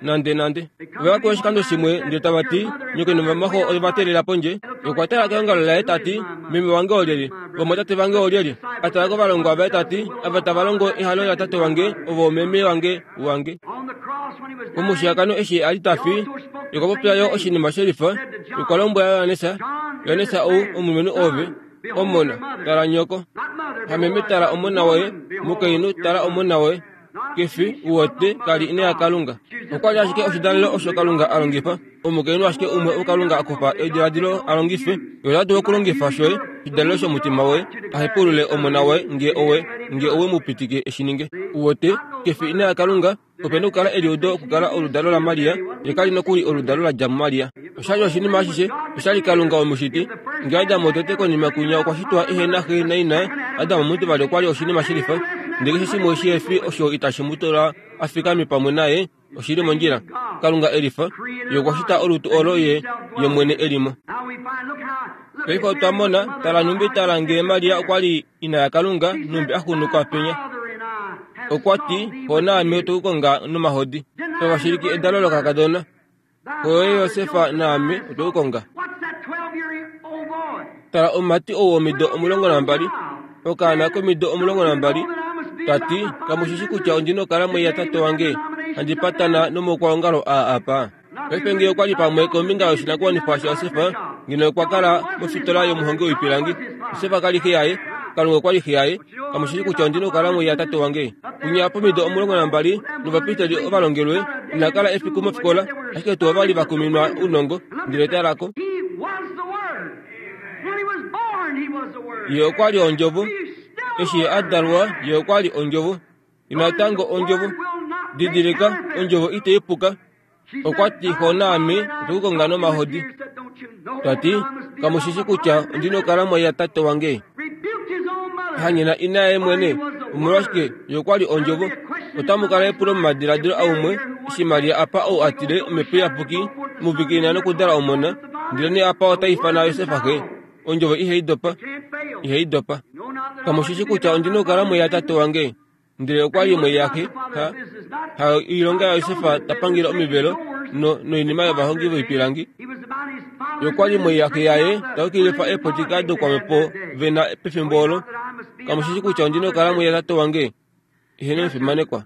Nandenande. Ove va kuya oshikando shimwe ndele tava ti, Nyoko novamaxo ove va teelela pondje. Ye okwa tala keongalo laye ta ti, Meme wange olyelye? Vamwatate vange olyelye? A tala kovalongwa vaye ta ti, Ava tava longo ehalo laTate wange, ovo omeme wange, wange. Pomushiyakano eshi a li ta fi, ye okwa popya yo oshinima she lifa. Ye okwa lombwela Johannes, Johannes ou omulumenhu oove, omona, tala nyoko. Hameme tala omona woye, mukainhu tala omona woye. Ke fi, u wete, ka li ina yaKalunga. Okwa li ashike oshidalelo osho Kalunga a longifa, omukainhu ashike umwe ou Kalunga a kufa ediladilo a longife. Ye ota dulu okulongifa shoye, oshidalelo shomutima woye, a hepaulule omona woye nge owe, nge owe mu pitike e shi ninge. U wete, ke fi ina yaKalunga, ope na okukala eliudo okukala oludalo laMaria, ye ka li nokuli oludalo la dja muMaria. Osha li oshinima ashishe, osha li Kalunga omushiti. Nge Adam wotete konima kwinya okwa shitwa ehe na xe naina, Adam omutivali okwa li oshinima shilifa. Ndele keshe shimwe shi he fi osho itashi mu tula a fikame pamwe naye, oshi li mondjila. Kalunga e lifa, Ye okwa shita olutu olo Ye, Ye mwene e li mo. Paife otwa mona, tala nhumbi tala ngee Maria okwa li ina yaKalunga, nhumbi a xunuka penya. Okwa ti, Xo naame otwe ku konga nomahodi. Tava shiliki edalo lokakadona. Xo yoye Josef naame otwe ku konga. Tala omumati ou womido 12, okaana komido 12, ta ti, Kamu shi shi kutya ondi nokukala mwei yatate wange, handi patana nomaukwaongalo aa apa? Paife ngee okwa li pamwe kombinga yoshinakuwanifwa shaJosef, ngeno okwa kala mofitola yomuhongi woipilangi. Josef ka li xe yaye, Kalunga okwa li xe yaye. Kamu shi kutya ondi nokukala mwei yatate wange? Winya pomido 12 novapristeli ovalongelwe, ina kala efiku mofikola, ashike tuu ova li va kuminwa ounongo, ndele tala ko. Ye okwa li Ondjovo. Eshi Ye a dalwa, Ye okwa li Ondjovo. Ye natango Ondjovo. Didilika, Ondjovo itai puka. Okwa ti, Xo naame otwe ku konga nomahodi. Ta ti, Kamu shi shi kutya ondi nokukala mwai yatate wange? Hanyena ina yaye mwene. Omolwashike, ye okwa li Ondjovo. Otamu kala epulo momadiladilo aumwe. Eshi Maria apa ou a tile Omhepo Iyapuki muvikilina nokudala omona, ndelenee apa ota ifana Josef xe. Ondjovo ihai dopa. Ihai dopa. Kamu shi shi kutya ondi nokukala mwe yatate wange? Ndele okwa li mwe yaxe. Ha, ha oilonga yaJosef ta pangele omivelo no, noinima yovahongi voipilangi. Ye okwa li mwe yaxe yaye ta yukilifa eepotika dokwamhepo ve na pefimbo olo. Kamu shi shi kutya ondi nokukala mwe yatate wange? Eheno efimanekwa.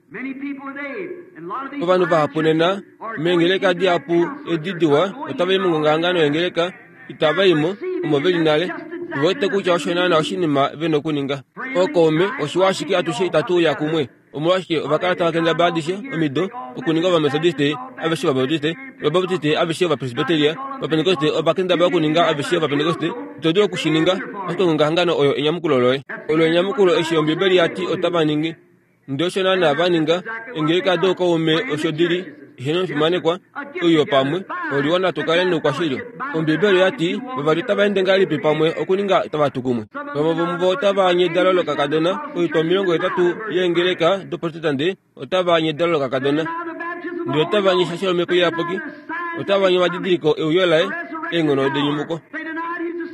Ovanhu vahapu nena meengeleka dihapu edi diwa otava i mongongahangano yengeleka, itava i mo omo ve li nale. Ove wete kutya osho naana oshinima ve na okuninga. Ookaume, oshiwa ashike atushe itatu uya kumwe. Omolwashike ova kala tava kendabala adishe omido okuninga Ovametodiste aveshe Ovabaptiste, Ovabaptiste aveshe Ovapresbiteria, Ovapentekoste ova kendabala okuninga aveshe Ovapentekoste. Ito dulu oku shi ninga, ashike ongongahangano oyo enyamukulo loye. Olo enyamukulo eshi Ombibeli ya ti otava ningi. Ndele osho naanaa va ninga, eengeleka dookaume osho di li, eheno omufimanekwa, oiyo pamwe, oliwa natu kale noukwashili. Ombibeli oya ti, Vavali otava ende ngahelipi pamwe okuninga tava tu kumwe? Vamwe vomuvo otava anye edalo lokakadona, oitwa 80 yeengeleka doProtestante otava anye edalo lokakadona. Ndele otava anye eshasho lOmhepo Iyapuki, otava anye omadidiliko euyo laye, eenghono denyumuko.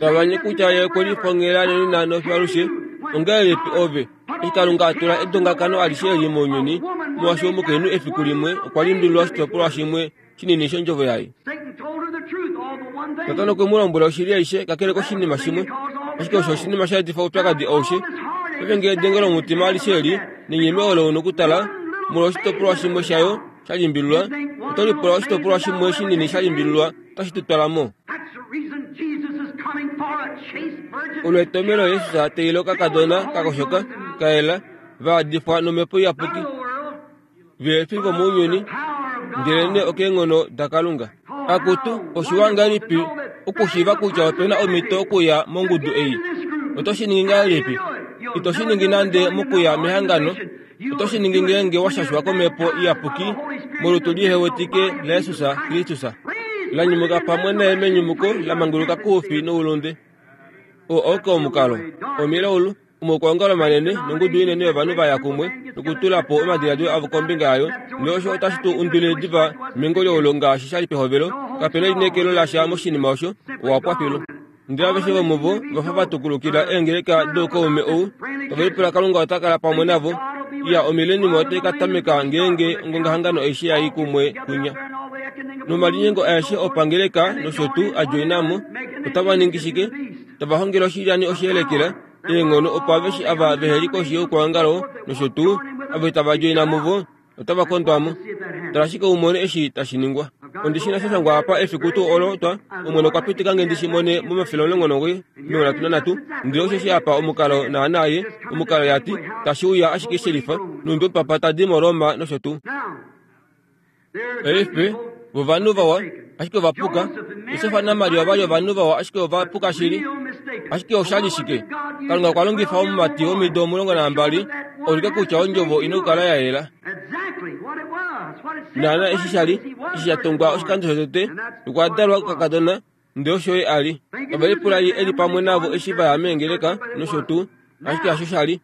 Tava anye kutya ye okwe lifongela nonena nofyalushe. Ongahelipi ove, eshi Kalunga a tula edongakano alishe eli mounyuni, molwaashi omukainhu efiku limwe okwa limbililwa oshitopolwa shimwe shinini shondjovo yaye. Satana okwe mu lombwela oshili aishe kakele koshinima shimwe, ashike osho oshinima sha etifa oupyakadi aushe. Paife ngee edenge lomutima alishe eli nenyeme olo u na okutala molwa oshitopolwa shimwe shayo sha limbililwa, oto lipula oshitopolwa shimwe shinini sha limbililwa otashi tu twala mo. Olo etomhelo Jesus a teelela okakadona ka koshoka, ka yela, va yadifwa nomhepo iyapuki. Ve fi vomounyuni, ndelenee okeenghono daKalunga. Akutu, oshiwa ngahelipi okushiiva kutya ope na omhito okuya mongudu ei! Oto shi ningi ngahelipi? Ito shi ningi nande mokuya mehangano. Oto shi ningi ngeenge wa shashwa komhepo iyapuki molutu lihewetike laJesus Kristus, la nyumuka pamwe naye menyumuko la manguluka koufi noulunde. Oo auke omukalo. Omilaulu. Omaukwaongalo manene nongudu inene yovanhu va ya kumwe nokutula po omadiladilo avo kombinga yayo, nosho otashi tu undulile diva mengolioulo ngaashi sha li pehovelo. Kape na elineekelo lasha moshinima osho. Owa pwa filu. Ndele aveshe vomuvo ova fa va tukulukila eengeleka doukaume ou, tave lipula Kalunga ota kala pamwe navo. Iya, omileniuma otai ka tameka ngeenge ongongahangano aishe ya i kumwe kwinya. Nomalinyengo aeshe opangeleka nosho tuu a djoina mo, otava ningi shike? Tava hongele oshilyani oshiyelekela, eenghono opo aveshe ava vehe li koshi youkwaongalo nosho tuu ava itava djoina muvo otava kondwa mo. Tala ashike u mone eshi tashi ningwa. Ondi shi na sha shangwa apa efiku tuu olo twa Omwene okwa pitika nge ndi shi mone momafele 93, ndele osheshi apa omukalo naanaa ye, omukalo ya ti, tashi uya ashike shelifa, nhumbi omupapa ta di moRoma nosho tuu. Paife, vo ovanhu vawa, ashike ova puka. Josef naMaria ova li ovanhu vawa, ashike ova puka shili. Ashike osha li shike? Kalunga okwa longifa omumati womido 12 a ulike kutya ondjovo ina okukala ya yela. Naana eshi sha li, eshi sha tongwa oshikando shotete, okwa dalwa kokakadona, ndele osho ye a li. Ove lipula ye e li pamwe navo eshi va ya meengeleka nosho tuu, ashike hasho sha li.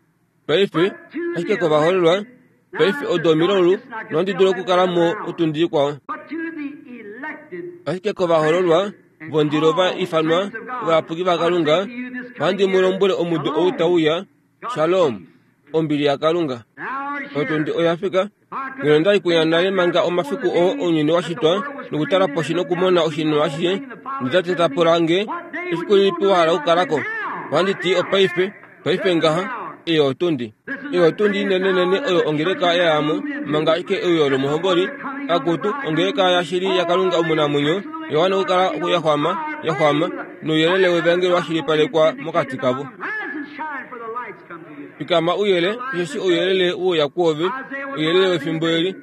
Paife, ashike kovaholelwa, paife odo omilaulu, nohandi dulu okukala mo otundi ikwao. Ashike kovahololwa vondilo va ifanwa ovayapuki vaKalunga, ohandi mu lombwele omudo ou tau uya, Shalom, ombili yaKalunga. Otundi oya fika. Ngeno nda li kuya nale manga omafiku oo ounyuni wa shitwa nokutala poshi nokumona oshinima ashishe, notate ta pula nge, Efiku lilipi wa hala okukala ko? Ohandi ti, Opaife, paife ngaha, eyo otundi. Eyo otundi inenenene oyo ongeleka ya ya mo, manga ashike euyo lomuhomboli, akutu, ongeleka yashili yaKalunga omunamwenyo, oya wana okukala ya xwama, ya xwama, nouyelele wevangeli wa shilipalekwa mokati kavo. Fikama uyele, osheshi ouyelele we uya kwoove, ouyelele wefimbo eli.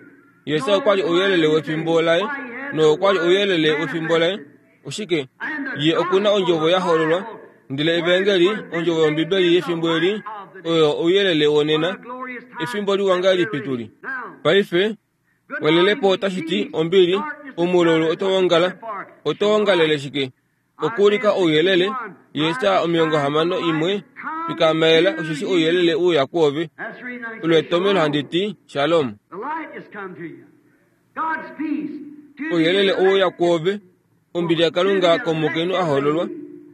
Jesus okwa li ouyelele wefimbo laye, nokwa li ouyelele wefimbo laye. Oshike? Ye oku na ondjovo ya hololwa. Ndele Evangeli, ondjovo yOmbibeli yefimbo eli, oyo ouyelele wonena. Efimbo liwa ngahelipi tu li paife! Welelepo otashi ti ombili, omululu oto ongala. Oto ongalele shike? Okuulika ouyelele, Jesaja 61, Fikama osheshi ouyelele u uya kwoove. Olo etomhelo handi ti, Shalom. Ouyelele ouya kwoove, ombili yaKalunga komukainhu a hoololwa,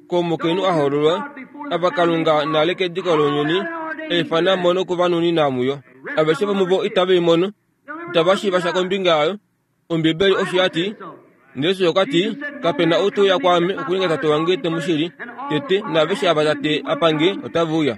komukainhu a hoololwa, ava Kalunga nale kediko lounyuni e ifana mo noku va nunina muyo. Aveshe vomuvo itave i mono, itava shiiva sha kombinga yayo. Ombibeli osho ya ti. Jesus okwa ti, Kape na ou te uya kwaame okuninga Tate wange te mu shili tete, naaveshe ava Tate a pa nge otave uya.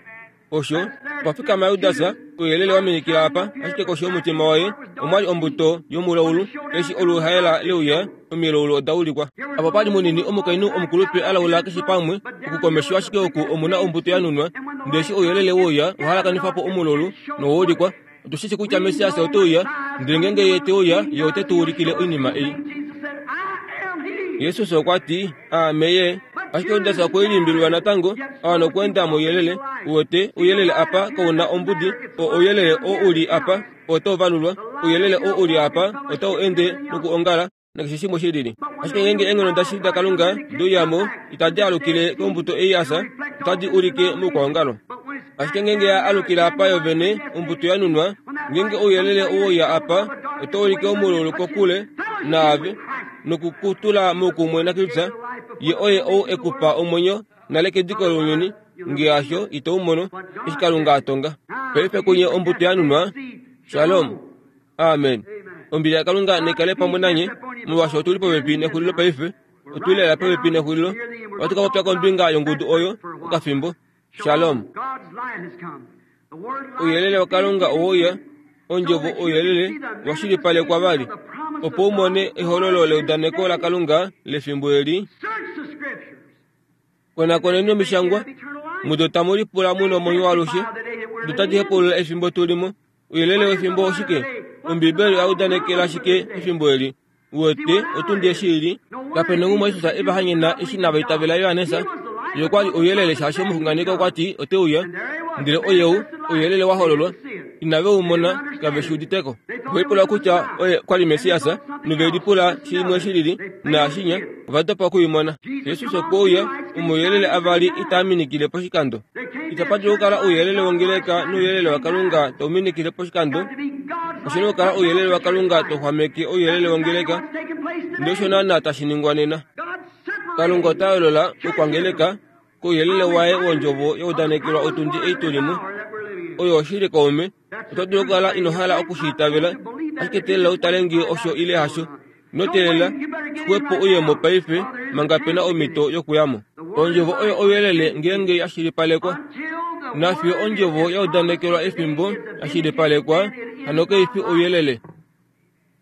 Osho okwa fikama Judas, ouyelele wa minikila apa, ashike koshi yomutima waye omwa li ombuto yomulaulu. Eshi oluhaela le uya, omilaulu oda ulikwa. Apa pa li munini omukainhu omukulupe a laula keshe pamwe, oku komesho ashike oku omu na ombuto ya nunwa. Ndele eshi ouyelele we uya, owa halakanifa po omulaulu nowa ulikwa. Otu shi shii kutya Messias ote uya, ndele ngeenge Ye te uya, Ye ote tu ulikile oinima ei. Jesus okwa ti, Aame Ye. Ashike Judas okwe lilimbililwa natango, a wana okweenda mouyelele. Uwete, ouyelele apa kau na ombudi. O, ouyelele oo u li apa otau valulwa. Ouyelele oo u li apa otau ende nokuongala, nakeshe shimwe shi lili. Ashike ngeenge eenghono dashili daKalunga de uya mo, itadi alukile kombuto ei ya fya, otadi ulike moukwaongalo. Ashike ngeenge ya alukila apa yo vene, ombuto ya nunwa, ngeenge ouyelele owe uya apa, otau ulike omululu kokule naave, noku ku tula moukumwe naKristus, Ye oye ou e ku pa omwenyo nale kediko lounyuni, nge hasho, ito u mono, eshi Kalunga a tonga. Paife kunye ombuto ya nunwa. Shalom. Amen. Ombili yaKalunga naikale pamwe nanye, molwaashi otu li popepi nexulilo paife. Otu li lela popepi nexulilo. Ohatu ka popya kombinga yongudu oyo okafimbo. Shalom. Ouyelele waKalunga owe uya, ondjovo ouyelele wa shilipalekwa vali, opo u mone ehololo leudaneko laKalunga lefimbo eli. Konakoneni omishangwa, mudo tamu lipula mu nomwenyo waalushe, do tadi hepaulula efimbo tu li mo. Ouyelele wefimbo oshike? Ombiibeli oya udanekela shike efimbo eli? Uwete, otundi eshi i li. Kape na umwe Jesus e va hanyena eshi inava itavela Johannes. Ye okwa li ouyelele shaashi omuxunganeki okwa ti ote uya. Ndele oyeu, ouyelele wa hololwa. Inave u mona, kave shi udite ko. Ove lipula kutya oye kwa li Messias, nove lipula shimwe shi lili, naashinya, ova dopa oku i mona. Jesus okwe uya, omauyelele avali itaa minikile poshikando. Itapa dulu okukala ouyelele wongeleka nouyelele waKalunga tau minikile poshikando. Oshi na okukala ouyelele waKalunga tau xwameke ouyelele wongeleka. Ndele osho naanaa tashi ningwa nena. Kalunga ota yoolola oukwangeleka kouyelele waye wondjovo ya udanekelwa otundi ei tu li mo. Oyo oshili kaume. Oto dulu okukala ino hala oku shi itavela, ashike teelela u tale ngee osho ile hasho. Ino teelela, xwepo uye mo paife manga pe na omhito yokuya mo. Ondjovo oyo ouyelele ngeenge ya shilipalekwa. Nafiyo ondjovo ya udanekelwa efimbo ya shilipalekwa, hano kai fi ouyelele.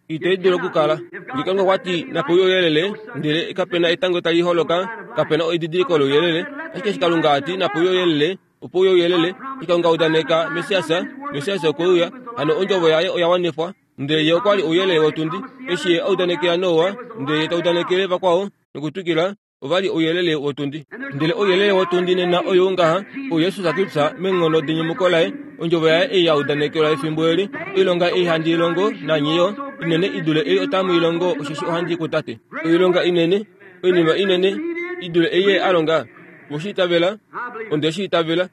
Itai dulu okukala. Nge Kalunga okwa ti, Nape uye ouyelele, ndele kape na etango tali holoka, kape na edidiliko louyelele. Ashike eshi Kalunga a ti, Nape uye ouyelele, opo uye ouyelele. Eshi Kalunga a udaneka Messias, Messias okwe uya, hano ondjovo yaye oya wanifwa. Ndele ye okwa li ouyelele wotundi. Eshi ye a udanekela Noa, ndele ye ta udanekele vakwao, nokutwikila, ova li ouyelele wotundi. Ndele ouyelele wotundi nena oyou ngaha, ouJesus Kristus meenghono denyumuko laye, ondjovo yaye ei ya udanekelwa efimbo eli, oilonga ei handi i longo, nanye yo, inene i dule ei otamu i longo, osheshi ohandi i kuTate. Oilonga inene, oinima inene i dule ei ye a longa. We shi itavela? Onde shi itavela.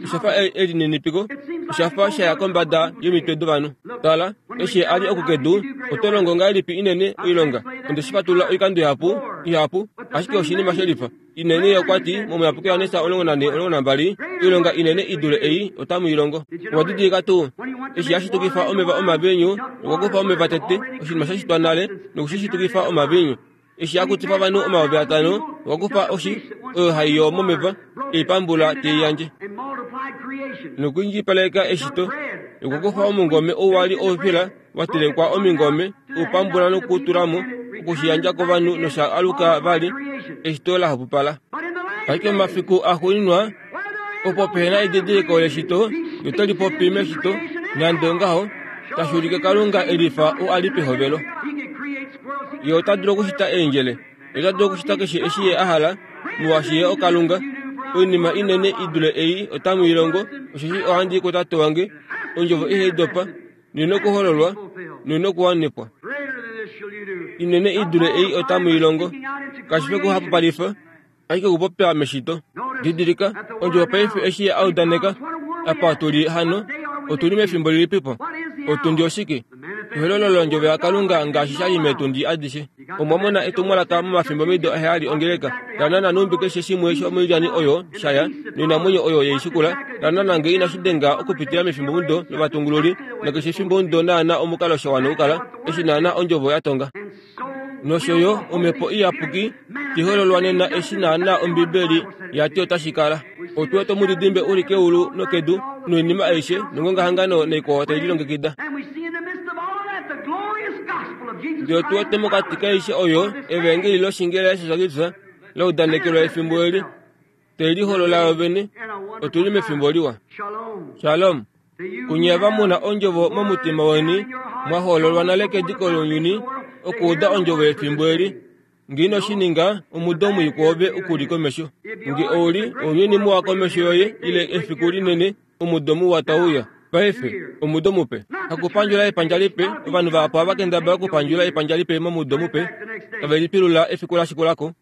Osha fa elininipiko, osha fa sha ya kombada yomitwe dovanhu. Tala, eshi a li oku kedu, oto longo ngahelipi inene oilonga? Onde shi fatulula oikando ihapu, ihapu, ashike oshinima she lifa. Inene ye okwa ti, mOmuyapuki Johannes 14, 12, Oilonga inene i dule ei otamu i longo. Owa didilika tuu? Eshi ya shitukifa omeva omaviinyu, okwa kufa omeva tete, oshinima sha shitwa nale, noku shi shitukifa omaviinyu. Eshi a kutifa ovanhu 5000, okwa kufa oshi oyo hai yoo momeva, e i pambula te i yandje. Nokwiindjipaleka eshito, okwa kufa omungome ou wa li oufila wa telekwa omingome, u pambula noku u tula mo, oku shi yandja kovanhu nosha aluka vali eshito la hapupala. Ashike momafiku axuuninwa, opo pehe na edidiliko leshito, ye ote lipopi meshito, nande ongaho, tashi ulike Kalunga e lifa ou a li pehovelo. Ye ota dulu okushita eendjele. Ye ota dulu okushita keshe eshi ye a hala, molwaashi ye oKalunga. Oinima inene i dule ei otamu i longo, osheshi ohandi i kuTate wange. Ondjovo ihai dopa, noi nokuhololwa, noi nokuwanifwa. Inene i dule ei otamu i longo. Kashi fi okuhapupalifa, ashike okupopya meshito. Didilika, ondjovo paife eshi ye a udaneka, apa tu li hano, otu li mefimbo lilipipo? Otundi oshike? Ehololo lOndjovo yaKalunga ngaashi sha li meetundi adishe. Omwa mona etumwalaka momafimbomido aheyali ongeleka, la nana nhumbi keshe shimwe shomoilyani oyo sha ya, noinamwenyo oyo ye i shikula, la nana nge inashi denga okupitila mefimbomudo lovatungululi, nakeshe efimbomudo naana omukalo sha wana okukala, eshi naana Ondjovo ya tonga. Nosho yo Omhepo Iyapuki tai hololwa nena eshi naana Ombibeli ya ti otashi kala. Otu wete omudidimbe u li keulu nokedu, noinima aishe, nongongahangano naikwao tai lilongekida. Ndele otu wete mokati kaaishe oyo Evaengeli loshinge laJesus Kristus la udanekelwa efimbo eli, te liholola yo vene. Otu li mefimbo liwa. Shalom. Kunye ava mu na ondjovo momutima weni, mwa hoololwa nale kediko lounyuni okuuda ondjovo yefimbo eli. Nge ino shi ninga, omudo mwii kwoove oku li komesho. Nge ou li ounyuni muwa komesho yoye ile efiku linene, omudo muwa tau uya. Paife, omudo mupe. Hakupandjula epandja lipe, ovanhu vahapu ohava kendabala okupandjula epandja lipe momudo mupe, tave lipilula efiku la shikula ko.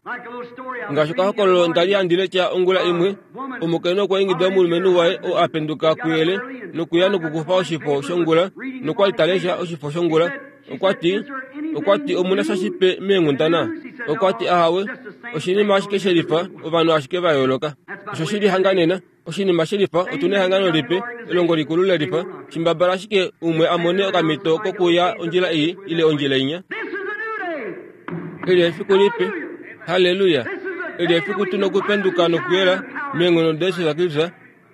Ngaashi okahokololo nda li handi lesha ongula imwe, omukainhu okwa ingida omulumenhu waye oo a penduka kuyele nokuya nokukufa oshifo shongula nokwa li ta lesha oshifo shongula. Okwa ti, okwa ti omu na sha shipe meenghundana? Okwa ti ahawe, oshinima ashike she lifa, ovanhu ashike va yooloka. Osho shi li hanga nena. Oshinima she lifa, otu na ehangano lipe, elongo likulu le lifa, shimbabala ashike umwe a mone okamhito kokuya ondjila ei ile ondjila inya. Eli efiku lipe. Halleluya! Eli efiku tu nokupenduka nokuyela meenghono daJesus Kristus.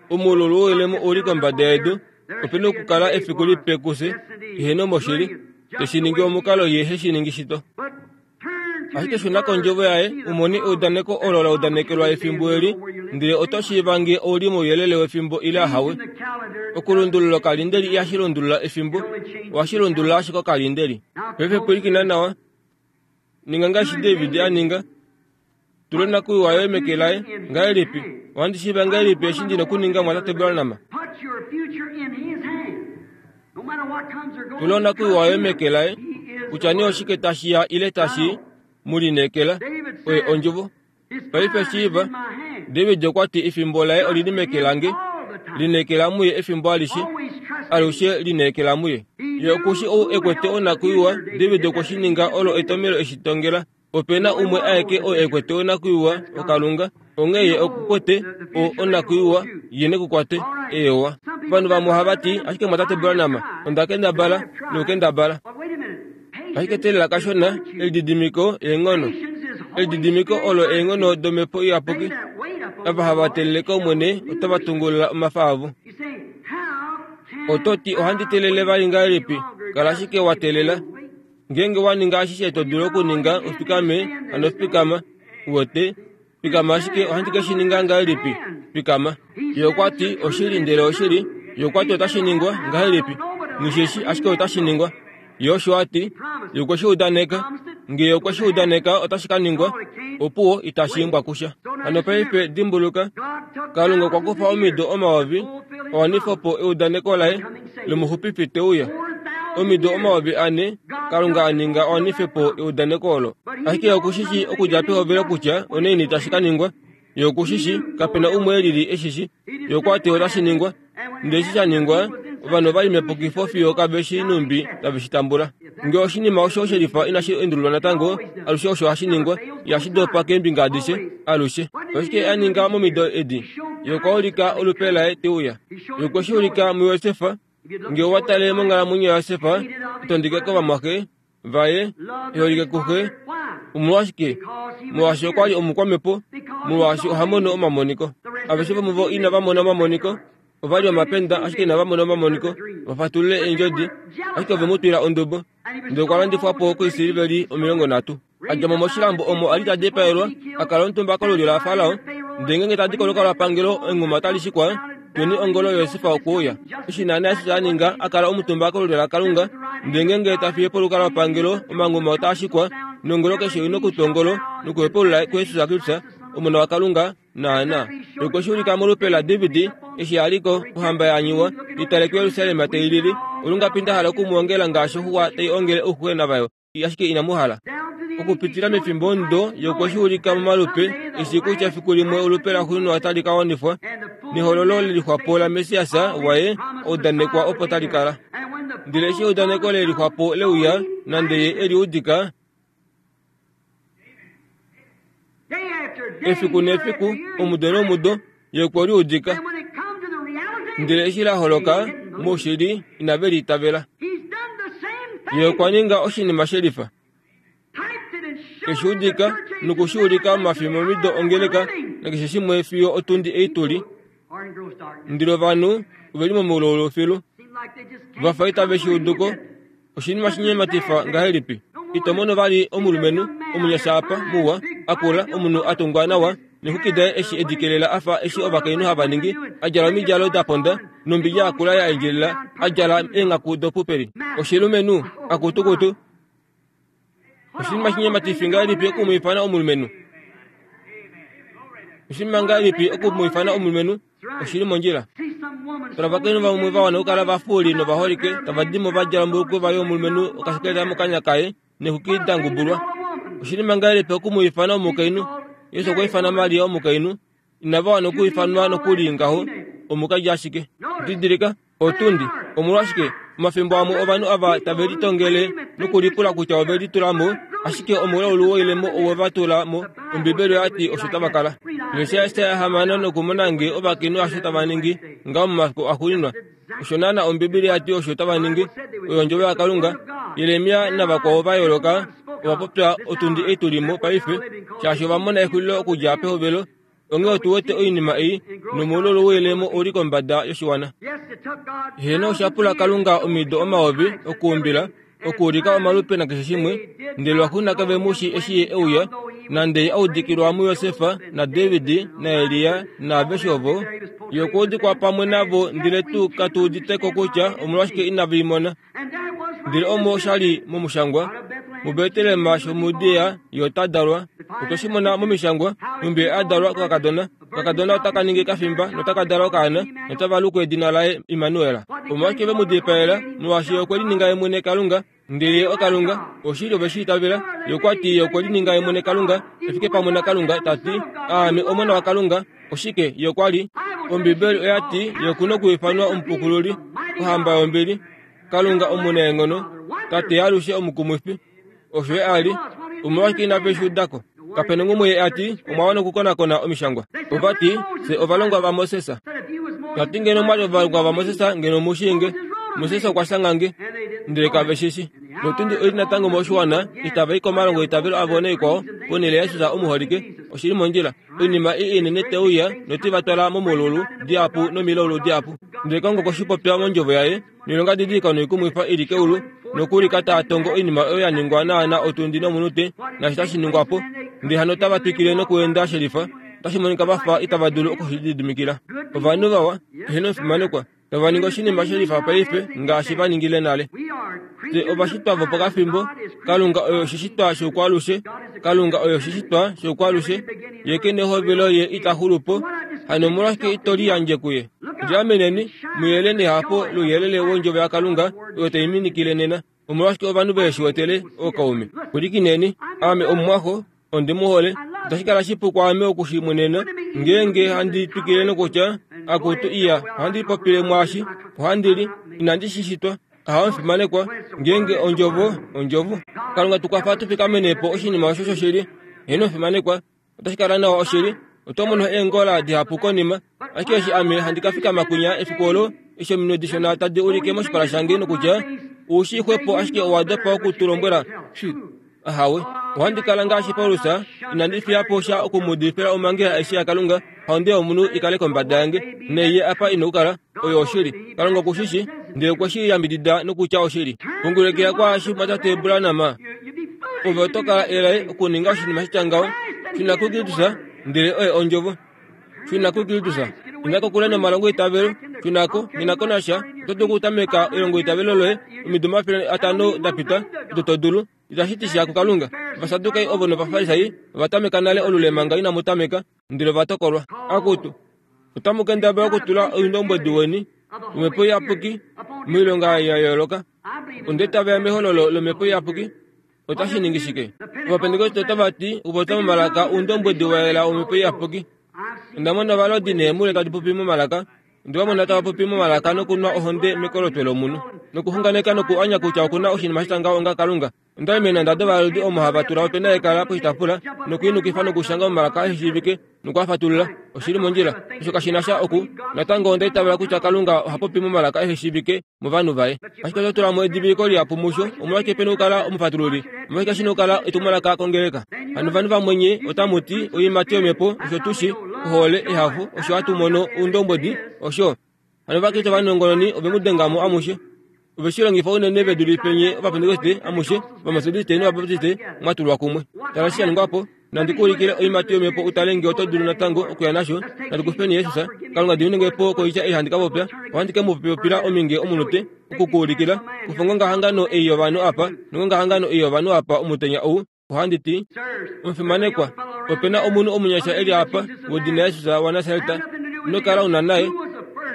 Omululu woilemo u li kombada yedu. Ope nokukala efiku lipe kufye, eheno moshili, te shi ningi omukalo ye he shi ningi shito. Ashike shuna kondjovo yaye u mone eudaneko olo la udanekelwa efimbo eli, ndele oto shiiva nge ou li mouyelele wefimbo ile ahawe. Okulundulula okalindeli ihashi lundulula efimbo, ohashi lundulula ashike okalindeli. Paife pwilikina nawa. Ninga ngaashi David a ninga. Tula onakuyiwa yoye meke laye. Ngahelipi? Ohandi shiiva ngahelipi eshi ndi na okuninga, Mumwatate Branham? Tula onakuyiwa yoye meke laye. Kutya nee oshike tashi ya ile tashi mu lineekela, oye ondjovo. Paife shiiva, David okwa ti efimbo laye oli li meke lange. Lineekela muye efimbo alishe. Alushe lineekela muye. Ye oku shi ou e kwete onakuyiwa. David okwe shi ninga olo etomelo eshi tongela. Ope na umwe aeke oo e kwete onakuyiwa, oKalunga. Onghee ye oku kwete o, onakuyiwa, ye ne ku kwate. Eewa. Ovanhu vamwe ohava ti, Ashike Mwatate Branham, onda kendabala, nokukendabala. Ashike teelela kashona, elididimiko eenghono. Elididimiko olo eenghono domhepo iyapuki. Ava hava teelele kOmwene otava tungulula omafa avo. Oto ti, Ohandi teelele vali ngahelipi? Kala ashike wa teelela. Ngeenge wa ninga ashishe to dulu okuninga, ufikame, hano fikama. Uwete? Fikama ashike, ohandi ke shi ninga ngahelipi? Fikama. Ye okwa ti, Oshili, ndele oshili. Ye okwa ti otashi ningwa ngahelipi? Nghi shi ashike otashi ningwa. Ye osho a ti. Ye okwe shi udaneka. Nge ye okwe shi udaneka, otashi ka ningwa. Opuwo, itashi imbwa kusha. Hano paife dimbuluka, Kalunga okwa kufa omido omayovi a wanife po eudaneko laye lomuxupifi te uya. Omido 4000 Kalunga a ninga a wanife po eudaneko olo. Ashike oku shi shii okudja pehovelo kutya onaini tashi ka ningwa. Ye oku shi shii, kape na umwe e lili e shi shii. Ye okwa ti otashi ningwa. Ndele eshi sha ningwa, ovanhu ova li mepukifo fiyo kave shii nhumbi tave shi tambula. Nge oshinima osho she lifa inashi endululwa natango, alushe osho hashi ningwa, ihashi dopa keembinga adishe, alushe. Oshike a ninga momido edi? Ye okwa ulika olupe laye te uya. Ye okwe shi ulika muJosef. Nge owa tale monghalamwenyo yaJosef, e tondike kovamwaxe vaye, e holike kuxe. Omolwashike? Molwaashi okwa li omukwamhepo, molwaashi oha mono omamoniko. Aveshe vomuvo inava mona omamoniko. Ova li omapenda, ashike inava mona omamoniko, va fatulule eendjodi, ashike ove mu twila ondubo. Ndele okwa landifwa po koisiliveli 30. A dja mo moshilambo omo a li ta dipaelwa, a kala omutumba kolulyo laFarao. Ndele ngeenge ta di kolukalwapangelo, enghuma otali shikwa, Tweni ongolo Josef okwe uya. Eshi naanaa eshi a ninga, a kala omutumba kolulyo laKalunga. Ndele ngeenge ta fiye po olukalwapangelo, omanghuma otaa shikwa, nongolo keshe oi na okutwa ongolo nokuhepaulula kuJesus Kristus, Omona waKalunga, Naanaa. Okwe shi ulika molupe laDavid, eshi a li ko, ohamba ya nyuwa, i tale kuJerusalem tai lili. Olungapi nda hala oku mu ongela ngaashi oxuwa tai ongele ouxuxwena vayo, ashike inamu hala. Okupitila mefimbo omudo, ye okwe shi ulika momalupe, e shii kutya fiku limwe olupe laxuuninwa otali ka wanifwa, nehololo le lixwa po laMessias waye a udanekwa opo tali kala. Ndele eshi eudaneko le lixwa po le uya, nande ye e li udika, efiku nefiku, omudo nomudo, ye okwe li udika. Ndele eshi la holoka, moshili, inave li itavela. Ye okwa ninga oshinima shelifa. E shi udika noku shi ulika momafimbomido ongeleka nakeshe shimwe fiyo otundi ei tu li. Ndele ovanhu ove li momaulolo filu. Va fa itave shi udu ko. Oshinima shinyematifa ngahelipi! Ito mono vali omulumenhu omunyasha apa, muwa, a kula, omunhu a tungwa nawa, nexwiki daye eshi e di kelela a fa eshi ovakainhu hava ningi, a djala omidjalo da ponda, nombidja ya kula ya endjelela, a djala eenghaku dopupeli. Oshilumenhu, akutukutu! Oshinima shinyematifi ngahelipi oku mu ifana omulumenhu? Oshinima ngahelipi oku mu ifana omulumenhu? Oshi li mondjila. Tala ovakainhu vamwe va wana okukala vafuuli novaholike tava di mo va djala ombulukwefa yomulumenhu okashekeleta mokanya kaye nexwiki da ngubulwa. Oshinima ngahelipi oku mu ifana omukainhu? Jesus okwa ifana Maria omukainhu. Inava wana okuifanwa nokuli ngaho, omukaji ashike. Didilika, otundi. Omolwashike, omafimbo amwe ovanhu ava tave litongele nokulipula kutya ove litula mo, ashike omulaulu woilemo owe va tula mo. Ombibeli oya ti osho tava kala. Lesha Jesaja 6 nokumona nge ovakainhu osho tava ningi ngaho momafiku axuuninwa. Osho naana Ombibeli ya ti osho tava ningi. Oyo ondjovo yaKalunga. Jeremia navakwao va yooloka ova popya otundi ei tu li mo paife, shaashi ova mona exulilo okudja pehovelo. Onghee otu wete oinima ei, nomoulolo woilemo u li kombada yoshiwana. Heeno, osha pula Kalunga omido omayovi okuumbila, okuulika omalupe nakeshe shimwe, ndele lwaxuuninwa kave mu shii eshi Ye e uya, nande Ye a udikilwa muJosef, naDavid, naElia, naaveshe ovo. Ye okwa udikwa pamwe navo, ndele tu katu udite ko kutya omolwashike inave i mona. Ndele omo osha li momushangwa, muBetlehem shomuJudea ye ota dalwa. Otwe shi mona momishangwa, nhumbi ye a dalwa kokakadona. Okakadona otaka ningi kafimba notaka dala okaana, notava luku edina laye Immanuel. Omolwashike ve mu dipaela? Molwaashi ye okwe lininga ye mwene Kalunga, ndele ye oKalunga. Oshili ove shi itavela. Ye okwa ti ye okwe lininga ye mwene Kalunga, e fike pamwe naKalunga, ta ti, Aame Omona waKalunga. Oshike ye okwa li? Ombibeli oya ti ye oku na okuifanwa Omupukululi, Ohamba yombili, Kalunga omunaenghono, Tate yaalushe omukumwifi. Osho ye a li. Omolwashike inave shi uda ko? Kape na ngumwe ye a ti, Omwa wana okukonakona Omishangwa. Ova ti, Fye ovalongwa vaMoses. Ta ti ngeno mwa li ovalongwa vaMoses, ngeno mu shii nge. Moses okwa shanga nge. Ndele kave shi shi. Notundi oi li natango moshiwana, itava i komalongo eitavelo avo naikwao, ponhele yaJesus omuholike. Oshi li mondjila. Oinima ii inene te uya note va twala momululu dihapu nomilaulu dihapu. Ndele Kalunga okwe shi popya mondjovo yaye, noilonga didilika noikumwifa i li keulu, nokuulika taa tongo oinima oyo ya ningwa naana otundi nomunute, naashi tashi ningwa po. Ndele hano otava twikile nokuenda shelifa, otashi monika va fa itava dulu oku shi lididimikila. Ovanhu vawa, eheno omufimanekwa, tava ningi oshinima shelifa paife ngaashi va ningile nale. Fye ovashitwa vopokafimbo, Kalunga oye oshishitwa shoukwaalushe, Kalunga oye oshishitwa shoukwaalushe, Ye ke nehovelo Ye ita xulu po. Hano omolwashike ito liyandje kuye? Liameneni, mu yele nehafo louyelele wondjovo yaKalunga oyo tai minikile nena. Omolwashike ovanhu vehe shi wetele, ookaume? Pwilikineni, ame omumwaxo, ondi mu hole. Otashi kala shipu kwaame oku shi mwenena ngeenge handi twikile nokutya, Akutu iya, ohandi lipopile mwaashi, ohandi li, inandi shi shitwa. Ahawe omufimanekwa, ngeenge ondjovo, ondjovo. Kalunga tu kwafa tu fikamene po oshinima osho shoshili. Heeno omufimanekwa, otashi kala nawa oshili. Oto mono eengola dihapu konima. Ashike eshi ame handi ka fikama kwinya efiku olo, eshi ominwe dishona tadi ulike moshipala shange nokutya, U shii xwepo ashike owa dopa oku tu lombwela. Shi. Ahawe. Ohandi kala ngaashi Paulus, inandi fiya po sha oku mu udifila omhangela aishe yaKalunga, haonde yomunhu i kale kombada yange, neiye apa i nokukala. Oyo oshili. Kalunga oku shi shi, ndele okwe shi yambidida nokutya oshili. Pungulekela kwaashi, Mumwatate Branham. Ove oto kala elai okuninga oshinima shitya ngaho. Shuna kuKristus, ndele oye Ondjovo. Shuna kuKristus. Inda kokule nomalongo eitavelo. Shuna ko, nghi na ko nasha. Oto dulu okutameka elongo eitavelo loye omido 500 da pita, odo to dulu. Itashi ti sha kuKalunga. Ovasadukai ovo nOvafarisai ova tameka nale olule manga inamu tameka, ndele ova tokolwa. Akutu, otamu kendabala okutula oindombwedi weni wOmhepo Iyapuki moilonga ya yooloka. Onda itavela mehololo lOmhepo Iyapuki. Otashi ningi shike? Ovapentekoste otava ti okupopya momalaka oundombwedi wa yela wOmhepo Iyapuki. Onda mona ovalodi neemhule tadi popi momalaka. Onde va mona tava popi momalaka nokunwa ohonde mekolotwe lomunhu, nokuxunganeka nokuanya kutya oku na oshinima sha tya ngaho onga Kalunga. Onda li meenhanda dovalodi omo hava tula opena yekala poshitaafula nokuinukifa nokushanga momalaka ehe shiivike noku a fatulula. Oshi li mondjila. Osho kashi na sha oku. Natango onda itavela kutya Kalunga oha popi momalaka ehe shiivike movanhu vaye. Ashike oto tula mo ediviliko lihapu musho. Omolwashike pe na okukala omufatululi? Omolwashike shi na okukala etumwalaka kongeleka? Hano ovanhu vamwe nye otamu ti, Oiimati yOmhepo, osho tu shi, ohole, ehafo, osho hatu mono oundombwedi, osho. Hano Ovakriste ovanongononi ove mu denga mo amushe. Ove shi longifa unene ve dulife nye Ovapentekoste amushe, Ovametodiste nOvabaptiste mwa tulwa kumwe. Tala eshi sha ningwa po. Nandi ku ulikile oiimati yOmhepo u tale nge oto dulu natango okuya nasho. Nandi kufeni Jesus. Kalunga diminenge po koitya ei handi ka popya. Ohandi ke mu popila ominge omunute, oku ku ulikila. Kufa ongongahangano ei yovanhu apa, nongongahangano ei yovanhu apa omutenya ou. Ohandi ti, Omufimanekwa, ope na omunhu omunyasha e li apa, wedina Jesus waNasaret. Ino kala u na naye.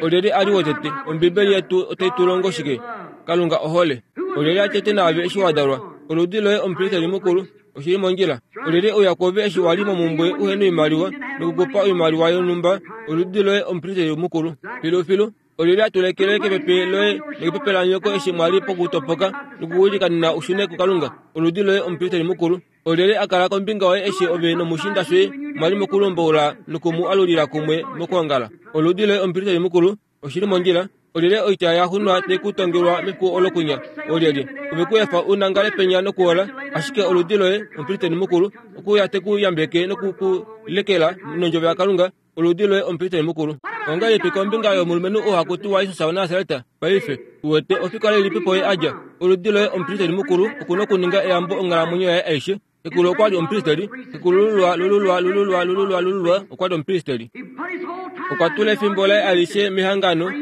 Olyelye a li wotete? Ombibeli yetu otai tu longo shike? Kalunga ohole. Olyelye a tete naave eshi wa dalwa? Oludi loye omupristeli mukulu. Oshi li mondjila. Olyelye e uya kwoove eshi wa li momumbwe uhe noimaliwa noku ku pa oimaliwa yonhumba? Oludi loye omupristeli mukulu. Filufilu. Olyelye a tulekele kepepe loye nokepepe lanyoko eshi mwa li pokutopoka nokuwilikanena u shune kuKalunga? Oludi loye omupristeli mukulu. Olyelye a kala kombinga yoye eshi ove nomushiinda shoye mwa li mokulomboula noku mu alulila kumwe mokwoongala? Oludi loye omupristeli mukulu. Oshi li mondjila. Olyelye oitya ya xunwa tai ku tongelwa mefiku olo kunya? Olyelye ove ku efa u nangale penya nokuola? Ashike oludi loye omupristeli mukulu okuuya te ku yambeke noku ku lekela nondjovo yaKalunga. Oludi loye omupristeli mukulu. Ongahelipi kombinga yomulumenhu oo haku tiwa Jesus waNasaret? Paife, uwete, ofikola ilipi po ye a dja? Oludi loye omupristeli mukulu oku na okuninga eyambo onghalamwenyo yaye aishe. Xekulu okwa li omupristeli. Xekulululwa, lululwa, lululwa, lululwa, lululwa okwa li omupristeli. Okwa tula efimbo laye alishe mehangano.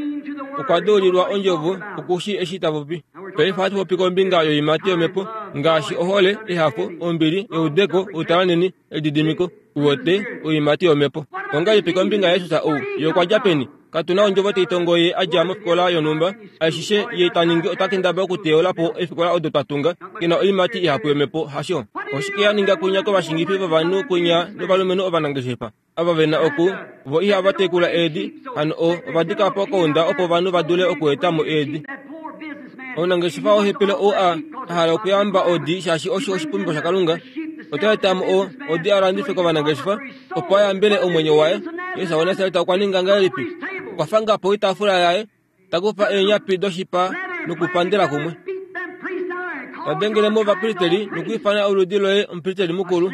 Okwa deulilwa ondjovo, oku shii eshi ta popi. Paife ohatu popi kombinga yoiimati yomhepo, ngaashi ohole, ehafo, ombili, eudeko, outalanheni, Elididimiko, uwete, oiimati yOmhepo. Ongahelipi kombinga yaJesus ou? Ye okwa dja peni? Katu na ondjovo tai tongo Ye a dja mofikola yonhumba. Aishishe Ye ta ningi ota kendabala okuteyola po eefikola odo twa tunga. Ke na oiimati ihapu yOmhepo, hasho? Oshike ya ninga kwinya kovashingifi vovanhu kwinya novalumenhu ovanangeshefa ava ve na oku vo ihava tekula eedi hano o ova dika po kounda opo ovanhu va dule okueta mo eedi. Omunangeshefa wohepele ou a hala okuyamba odi shaashi osho oshipumbiwa shaKalunga, ota eta mo o odi a landife kovanangeshefa opo a yambele omwenyo waye. Jesus waNasaret okwa ninga ngahelipi? Okwa fanga po oitaafula yaye, ta kufa eenyapi doshipa nokupandela kumwe. Ta dengele mo ovapristeli nokwiifana oludi loye omupristeli mukulu.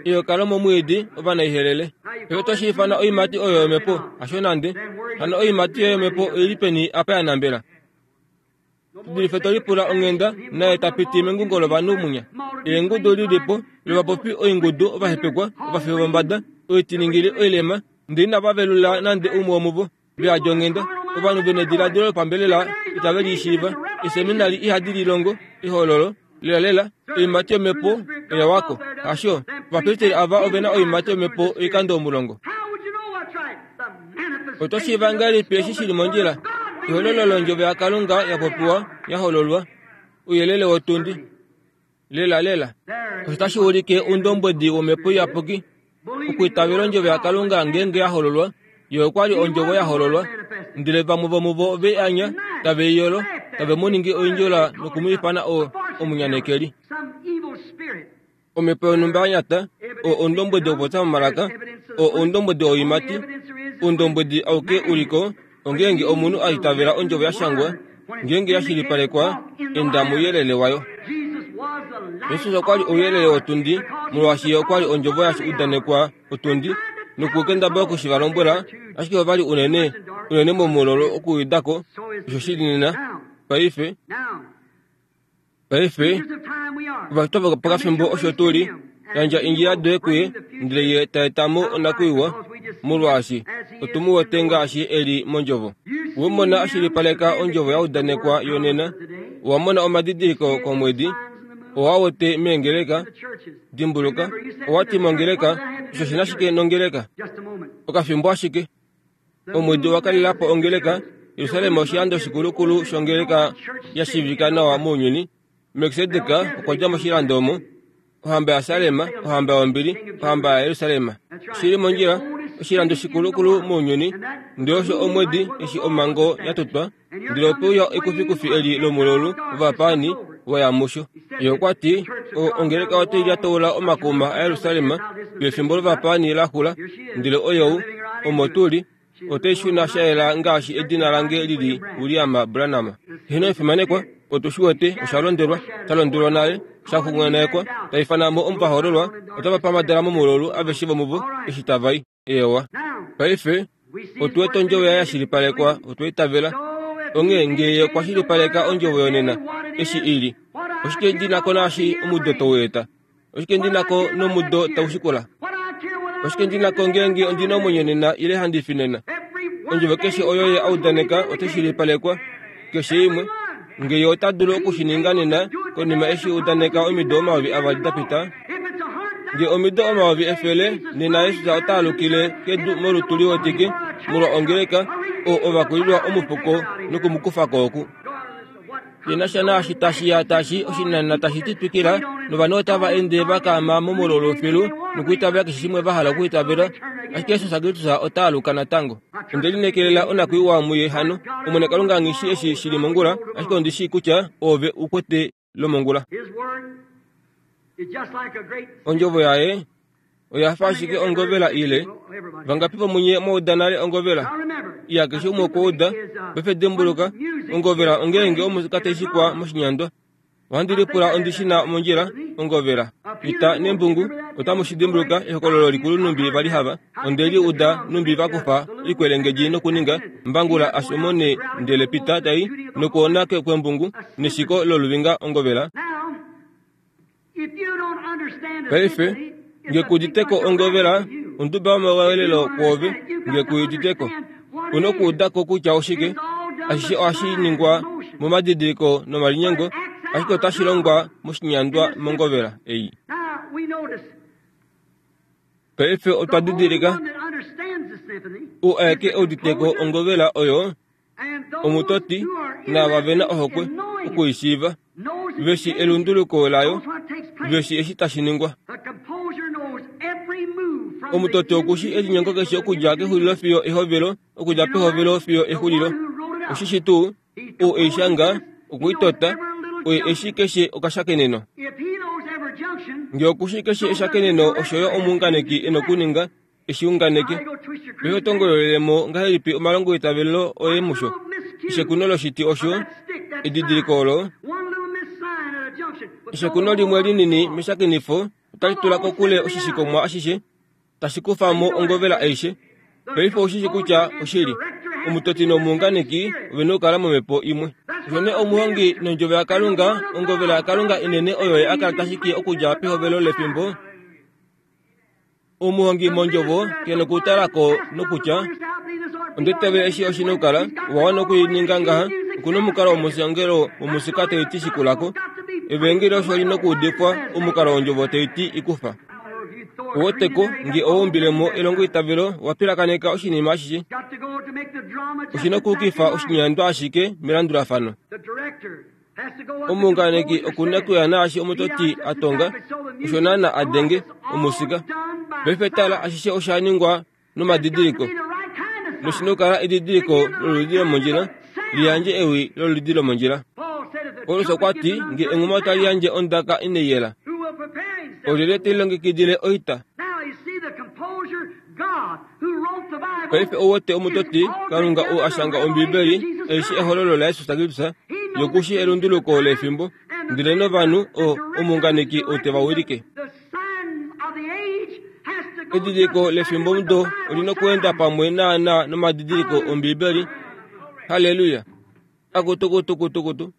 Eyoka lomomwiidi ovanaihelele. Paife oto shi ifana oiimati oyo yomhepo? Hasho nande. Hano oiimati yoye yomhepo oi li peni apa ya nambela? Dulife to lipula onghenda naye ta piti mengungo lovanhu munya. Eengudu li li po lovapopi oingudu ovahepekwa, ovafi vombada, oitiningili oilema, ndele inava velula nande umwe womuvo. Veyadi onghenda, ovanhu ve nediladilo lopambelela itave li shiiva. Eeseminali ihadi li longo ehololo lelalela. Oiimati yomhepo oya wako. Hasho, ovapristeri ava ove na oiimati yomhepo oikando omulongo. Oto shiiva ngahelipi eshi shi li mondjila? Ehololo londjovo yaKalunga ya popiwa, ya hololwa. Ouyelele wotundi. Lelalela, osho otashi ulike oundombwedi wOmhepo Iyapuki, okwiitavela Ondjovo yaKalunga ngeenge ya hololwa. Ye okwa li Ondjovo ya hololwa. Ndele vamwe vomuvo ove i anya, tave i yolo, tave mu ningi oindjola noku mu ifana o, omunyanekeli. Omhepo yonhumba ya nyata, oo oundombwedi wokupopya momalaka, oo oundombwedi woiimati, oundombwedi auke u li ko, Ongeenge omunhu a itavela ondjovo ya shangwa, ngeenge ya shilipalekwa, enda mouyelele wayo. Jesus okwa li ouyelele wotundi, molwaashi ye okwa li ondjovo ya udanekwa otundi, nokukendabala oku shi va lombwela, ashike ova li unene, unene momulolo okuuda ko osho shi li nena. Paife, Paife, ovatwa vopakafimbo osho tu li, yandja eendjila doye kuye, ndele ye ta eta mo onakwiiwa, molwaashi otu mu wete ngaashi e li mondjovo. We mona a shilipaleka ondjovo ya udanekwa yonena, owa mona omadidiliko komwedi, owa wete meengeleka. Dimbuluka, owa ti mongeleka, osho shi na shike nongeleka? Okafimbo ashike. Omwedi owa kalela po ongeleka. Jerusalem oshilando shikulukulu shongeleka ya shiivika nawa mounyuni. Melkisedek okwa dja moshilando omo, ohamba yaSalem, ohamba yombili, ohamba yaJerusalem. Shi li mondjila. oshilando shikulukulu mounyuni, ndele osho omwedi eshi omhango ya totwa, ndele ope uya ekufikufi eli lomululu wovapaani wa ya musho. Ye okwa ti, O, ongeleka otai lyataula omakuma aJerusalem pefimbo lovapaani la xula, ndele oyou, omo tu li, otai shuna sha yela ngaashi edina lange li li William Branham. Heno efimanekwa, otu shi wete osha londelwa, sha londelwa nale, sha xunganekwa, ta ifana mo omuvahoololwa, otava pamhadala momulolu aveshe vomuvo eshi tava i. Eewa. Paife, otu wete ondjovo yaye ya shilipalekwa, otwa itavela. Onghee nge ye okwa shilipaleka ondjovo yonena, eshi i li, oshike ndi na ko naashi omudo tau eta? Oshike ndi na ko nomudo tau shikula? Oshike ndi na ko ngeenge ondi na omwenyo nena ile handi fi nena? Ondjovo keshe oyo ye a udaneka otai shilipalekwa, keshe imwe. Nge ye ota dulu oku shi ninga nena, konima eshi udaneka omido 2000 da pita, nge omido 100, nena Jesus ota alukile kedu molutu liwetike molwa ongeleka, oo ovakulilwa omufuko noku mu kufa ko oku. Shi na sha naashi tashi ya tashi oshinanena tashi ti twikila, novanhu otava ende va kaama momululu filu nokwiitavela keshe shimwe va hala okwiitavela, ashike Jesus Kristus ota aluka natango. Onde lineekelela onakwiiwa muye hano. Omwene Kalunga nghi shii eshi shi li mongula, ashike ondi shii kutya Oove u kwete lomongula. Ondjovo yaye oya fa ashike ongovela ile. Vangapi vomunye mwa uda nale ongovela? Iya, keshe umwe okwa uda. Paife dimbuluka, ongovela ongeenge omusika tai shikwa moshinyandwa. Ohandi lipula ondi shi na mondjila, ongovela. Ita nembungu, otamu shi dimbuluka ehokololo likulu numbi va li hava. Onde li uda numbi va kufa oikwelengedji nokuninga mbangula ashomone ndele pita tai nokwoona kwembungu neshiko loluvinga ongovela. Paife, nge ku udite ko ongovela, onduba yomawelelo kwoove, nge ku udite ko. U nokuuda ko kutya oshike. Ashishe ohashi ningwa momadidiliko nomalinyengo, ashike otashi longwa moshinyandwa mongovela ei. Paife otwa didilika, u aeke e udite ko ongovela oyo, omutoti naava ve na ohokwe oku i shiiva, ve shi elunduluko layo, ve shi eshi tashi ningwa. Omutoti oku shi elinyengo keshe okudja kexulilo fiyo ehovelo, okudja pehovelo fiyo exulilo. Oshi shi tuu, ou e i shanga, okwe i tota, oye e shi keshe okashakeneno. Nge oku shi keshe eshakeneno osho yo omuunganeki e nokuninga, e shi unganeke. Paife oto ngololele mo ngahelipi omalongoitavelo oye musho? Eshekuno loshiti osho edidiliko olo. Eshekuno limwe linini meshakenifo otali tula kokule oshishikomwa ashishe, tashi kufa mo ongovela aishe. Paife ou shi shi kutya oshili. Omutoti nomuunganeki ove na okukala momhepo imwe. Osho nee omuhongi nondjovo yaKalunga, ongovela yaKalunga inene oyo ye a kala ta shiki okudja pehovelo lefimbo, Omuhongi mondjovo ke nokutala ko nokutya, Onde itavela eshi oshi nokukala, owa wana oku i ninga ngaha, oku na omukalo womushangelo womusika tai ti shikula ko. Evaengeli osho li nokuudifwa, omukalo wondjovo tai ti i kufa. Ou wete ko, nge owa umbile mo elongoitavelo, owa pilakaneka oshinima ashishe. Oshi nokuukifa oshinyandwa ashike melandulafano. Omuunganeki oku na okuya naashi omutoti a tonga, osho naana a denge omusika. Paife tala, ashishe osha ningwa nomadidiliko. Noshi na okukala edidiliko loludi lomondjila, li yandje ewi loludi lomondjila. Paulus okwa ti, Nge enghuma otali yandje ondaka inai yela, olyelye te lilongekidile oita? Paife ou wete omutoti, Kalunga ou a shanga Ombibeli, eshi ehololo laJesus Kristus, yoku shi elunduluko lefimbo, ndele novanhu, o, omuunganeki ou te va wilike. Edidiliko lefimbomudo oli nokuenda pamwe naana nomadidiliko Ombibeli. Halleluya! Akutu, kutu, kutu, kutu.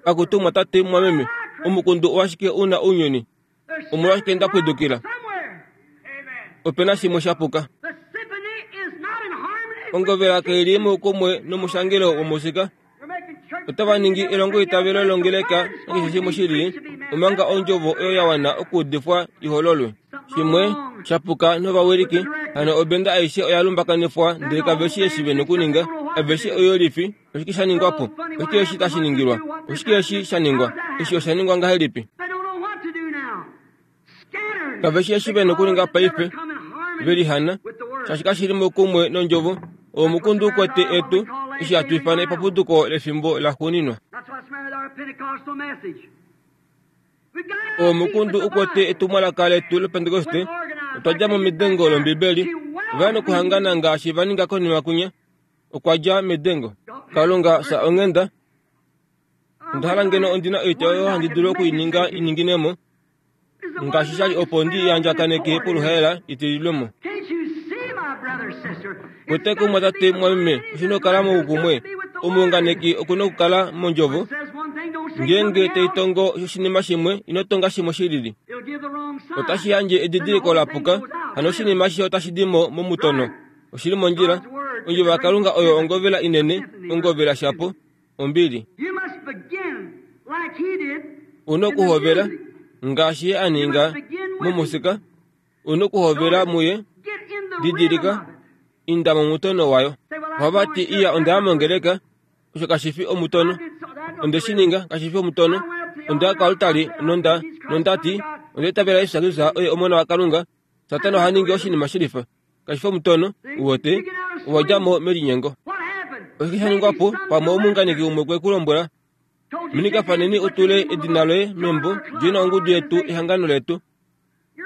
Akutu, mwatate, mwameme, omukundu owashike u na ounyuni? Omolwashike nda pwidukila? Ope na shimwe sha puka. Ongovela kai li moukumwe nomushangelo womusika. Otava ningi elongoitavelo longeleka nakeshe shimwe shi lili, omanga ondjovo oyo ya wana okuudifwa i hololwe. Shimwe sha puka novawiliki, hano obenda aishe oya lumbakanifwa ndele kave shii eshi ve nokuninga. Aveshe oyolifi. Oshike sha ningwa po? Oshike eshi tashi ningilwa? Oshike eshi sha ningwa? Eshi osha ningwa ngahelipi? Kave shi eshi ve nokuninga paife. Ve lihana, shaashi kashi li moukumwe nOndjovo. Oo omukundu u kwete etu, eshi hatu ifana epapuduko lefimbo laxuuninwa. Oo omukundu u kwete etumwalaka letu lOpentekoste. Otwa dja mo medengo lOmbibeli. Ova ya nokuhangana ngaashi va ninga konima kwinya. Okwa dja medengo. Kalunga, fya onghenda. Onda hala ngeno ondi na oitya oyo handi dulu oku i ninga i ningine mo, ngaashi sha li opo ndi i andjakaneke poluhaela i tililwe mo. Kwete kumwatate mwameme, oshi na okukala moukumwe. Omuunganeki oku na okukala mondjovo. Ngeenge tai tongo oshinima shimwe, ino tonga shimwe shi lili. Otashi yandje edidiliko la puka, hano oshinima ashishe otashi di mo momutono. Oshi li mondjila. Ondjovo yaKalunga oyo ongovela inene, ongovela shapo. Ombili. U na okuhovela ngaashi ye a ninga momusika. U na okuhovela muye. Didilika, inda momutono wayo. Ohava ti, Iya, onda ya mongeleka. Osho kashi fi omutono. Onde shi ninga, kashi fi omutono. Onda ya koaltari nonda, nonda ti, Onda itavela Jesus Kristus oye Omona waKalunga. Satana oha ningi oshinima shilifa. Kashi fi omutono, uwete, owa dja mo melinyengo. Oshike sha ningwa po? Pamwe omuunganeki umwe okwe ku lombwela, Minika faneni u tule edina loye membo, djoina ongudu yetu, ehangano letu.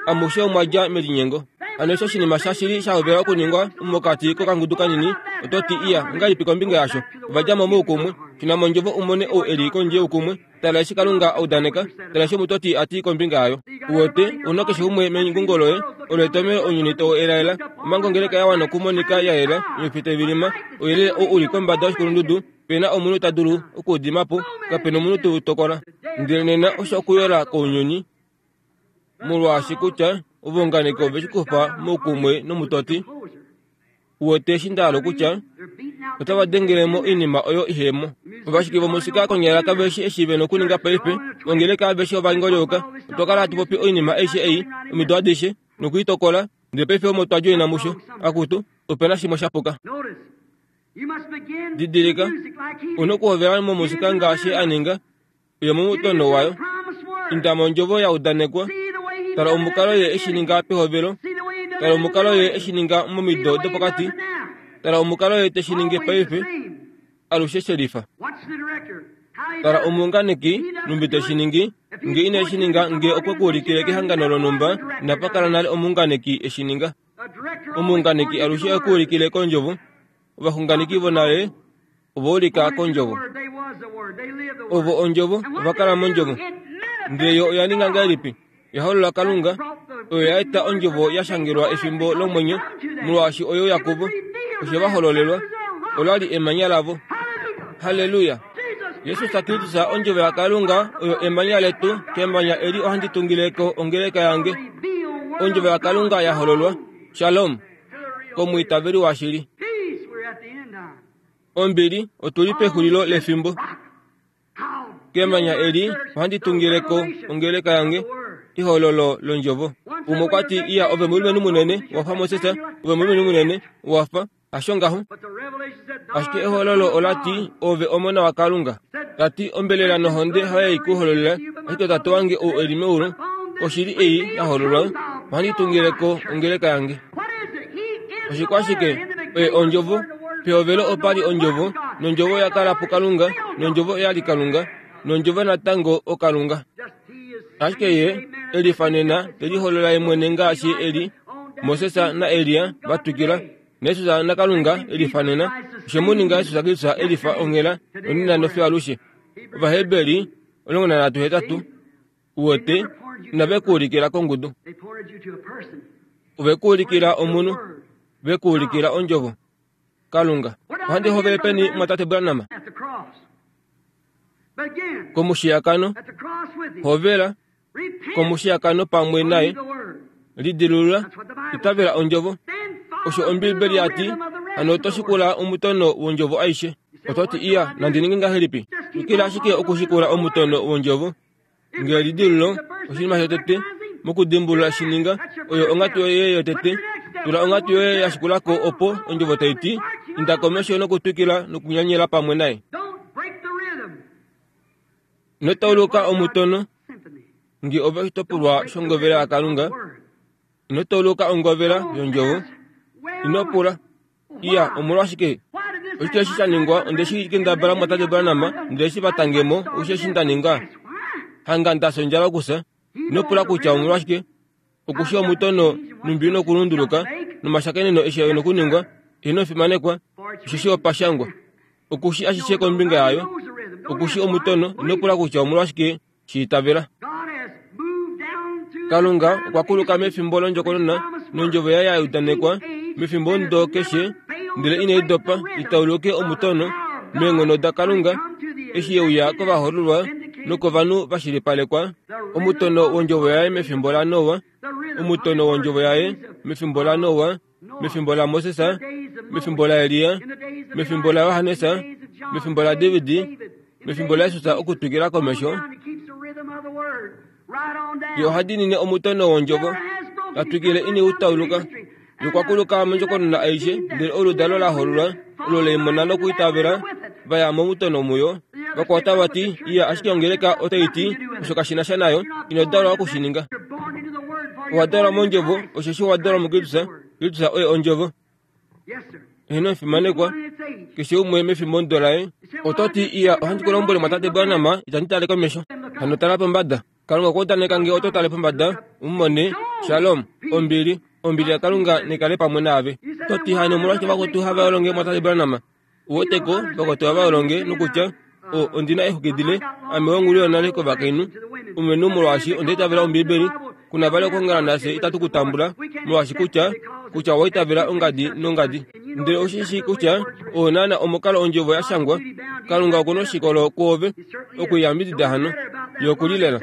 Amushe omwa dja melinyengo. Hano eshi oshinima shashili sha hovela okuningwa mokati kokangudu kanini, oto ti, Iya, ongahelipi kombinga yasho? Ova dja mo moukumwe. Shuna mondjovo u mone ou e li kondje youkumwe. Tala eshi Kalunga a udaneka, tala eshi omutoti a ti kombinga yayo. Uwete, u na keshe umwe mengungo loye, olo etomhelo ounyuni tau elaela, omanga ongeleka ya wana okumonika ya yela, oifi tai vilima, ouyelele ou u li kombada yoshikulundudu, pe na omunhu ta dulu oku u dima po, kape na omunhu te u tokola. Ndele nena osho okuyola kounyuni, molwaashi kutya ovaunganeki ove shi kufa moukumwe nomutoti. Uwete eshi nda hala okutya? Otava dengele mo oinima oyo ihe mo. Ovashiki vomusika konyala kave shi eshi ve na okuninga paife. Ongeleka aveshe ova ngolyoka. Otwa kala hatu popi oinima aishe ei, omido adishe, noku i tokola, ndele paife omo twa djoina musho. Akutu, ope na shimwe sha puka. Didilika, u na okuhovela momusika ngaashi a ninga. Uya momutono wayo. Inda mondjovo ya udanekwa. Tala omukalo ye eshi ninga pehovelo. Tala omukalo ye eshi ninga momido dopokati. Tala omukalo ye te shi ningi paife. Alushe shelifa. Tala omuunganeki, numbi te shi ningi. Nge ine shi ninga, nge okwe ku ulikile kehangano lonhumba, inapa kala nale omuunganeki e shi ninga. Omuunganeki alushe ohe ku ulikile kondjovo. Ovaxunganeki vonale ova ulika kondjovo. Ovo ondjovo, ova kala mondjovo. Ndele yo oya ninga ngahelipi? Ya holola Kalunga, oyo ya eta ondjovo ya shangelwa efimbo lomwenyo, molwaashi oyo ya kuvo. Osho va hololelwa, ola li emanya lavo. Halleluya! Jesus Kristus, ondjovo yaKalunga, oyo emanya letu, kemanya eli ohandi tungile ko ongeleka yange. Ondjovo yaKalunga ya hololwa. Shalom! Komwiitaveli washili. Ombili, otu li pexulilo lefimbo. Kemanya eli ohandi tungile ko ongeleka yange, ehololo londjovo. Umwe okwa ti, Iya, ove omulumenhu munene, wa fa Moses, ove omulumenhu munene, wa fa. Hasho ngaho. Ashike ehololo ola ti, Ove omona waKalunga. Ta ti, Ombelela nohonde hayo ei ku hololela, ashike Tate wange ou e li meulu, oshili ei ya hololwa, ohandi tungile ko ongeleka yange. Oshikwashike? Oye Ondjovo. Pehovelo opa li Ondjovo, nOndjovo oya kala puKalunga, nOndjovo oya li Kalunga, nOndjovo natango oKalunga. Ashike Ye e lifa nena, te liholola Ye mwene ngaashi e li Moses naElia va twikila, naJesus naKalunga e lifa nena. Oshe mu ninga Jesus Kristus e lifa onghela, nonena nofiyo alushe. Ovaheberi 13:8. Uwete, inave ku ulikila kongudu. Ove ku ulikila omunhu. Ve ku ulikila Ondjovo. Kalunga. Ohandi hovele peni, Mwatate Branham? Komushiyakano. Hovela komushiyakano pamwe naye. Lidilulula. Itavela Ondjovo. Osho Ombiibeli ya ti. Hano oto shikula omutono wOndjovo aishe. Oto ti, Iya, nandi ninge ngahelipi? Twikila ashike okushikula omutono wOndjovo. Nge elidilululo oshinima shotete mokudimbulula shi ninga, oyo onghatu yoye yotete. Tula onghatu yoye ya shikula ko opo ondjovo tai ti, Inda komesho nokutwikila nokunyanyela pamwe naye. Ino tauluka omutono. Nge ove oshitopolwa shongovela yaKalunga. Ino tauluka ongovela yondjovo. Ino pula, Iya, omolwashike? Oshike eshi sha ningwa? Onde shi kendabala mwatate Branham, ndele eshi va tange mo, osho eshi nda ninga. Hanga nda fya ondjala okufya. Ino pula kutya omolwashike. Okushi omutono numbi nokulunduluka, nomashakeneno eshi e nokuningwa, ino fimanekwa, osheshi opa shangwa. Okushi ashishe kombinga yayo. Okushi omutono, ino pula kutya omolwashike shi itavela. Kalunga okwa kuluka mefimbo londjokonona nondjovo yaye ya udanekwa mefimbo ndo keshe, ndele inai dopa i tauluke omutono meenghono daKalunga eshi ye uya kovahoololwa nokovanhu va shilipalekwa omutono wondjovo yaye mefimbo laNoa, omutono wondjovo yaye mefimbo laNoa, mefimbo laMoses, mefimbo laElia, mefimbo laJohannes, mefimbo laDavid, mefimbo laJesus okutwikila komesho. Ye oha diinine omutono wondjovo, ta twikile ine u tauluka. Ye okwa kuluka mondjokonona aishe, ndele oludalo la hololwa olo le i mona nokuitavela, va ya momutono muyo. Vakwao otava ti, Iya, ashike ongeleka otai ti, Osho kashi na sha nayo. Ino dalwa oku shi ninga. Owa dalwa mOndjovo, osheshi owa dalwa muKristus. Kristus oye Ondjovo. Eheno omufimanekwa, keshe umwe mefimbomudo laye. Oto ti, Iya, ohandi ku lombwele, Mwatate Branham, itandi tale komesho. Hano tala pombada. Kalunga okwa udaneka nge oto tale pombada, u mone, Shalom, ombili, ombili yaKalunga nekale pamwe naave. Oto ti, Hano omolwashike vakwetu hava longe, Mwatate Branham? U weteko, vakwetu hava longe, nokutya, O, ondi na exuki dile, ame wongulu yonale kovakainhu, omumenhu molwaashi onda itavela Ombiibeli, ku na vali okuongala nafye itatu ku tambula, molwaashi kutya, kutya owa itavela ongadi nongadi. Ndele ou shi shii kutya oo naana omukalo Ondjovo ya shangwa. Kalunga oku noshikolo kwoove oku i yambidida hano. Ye oku li lela.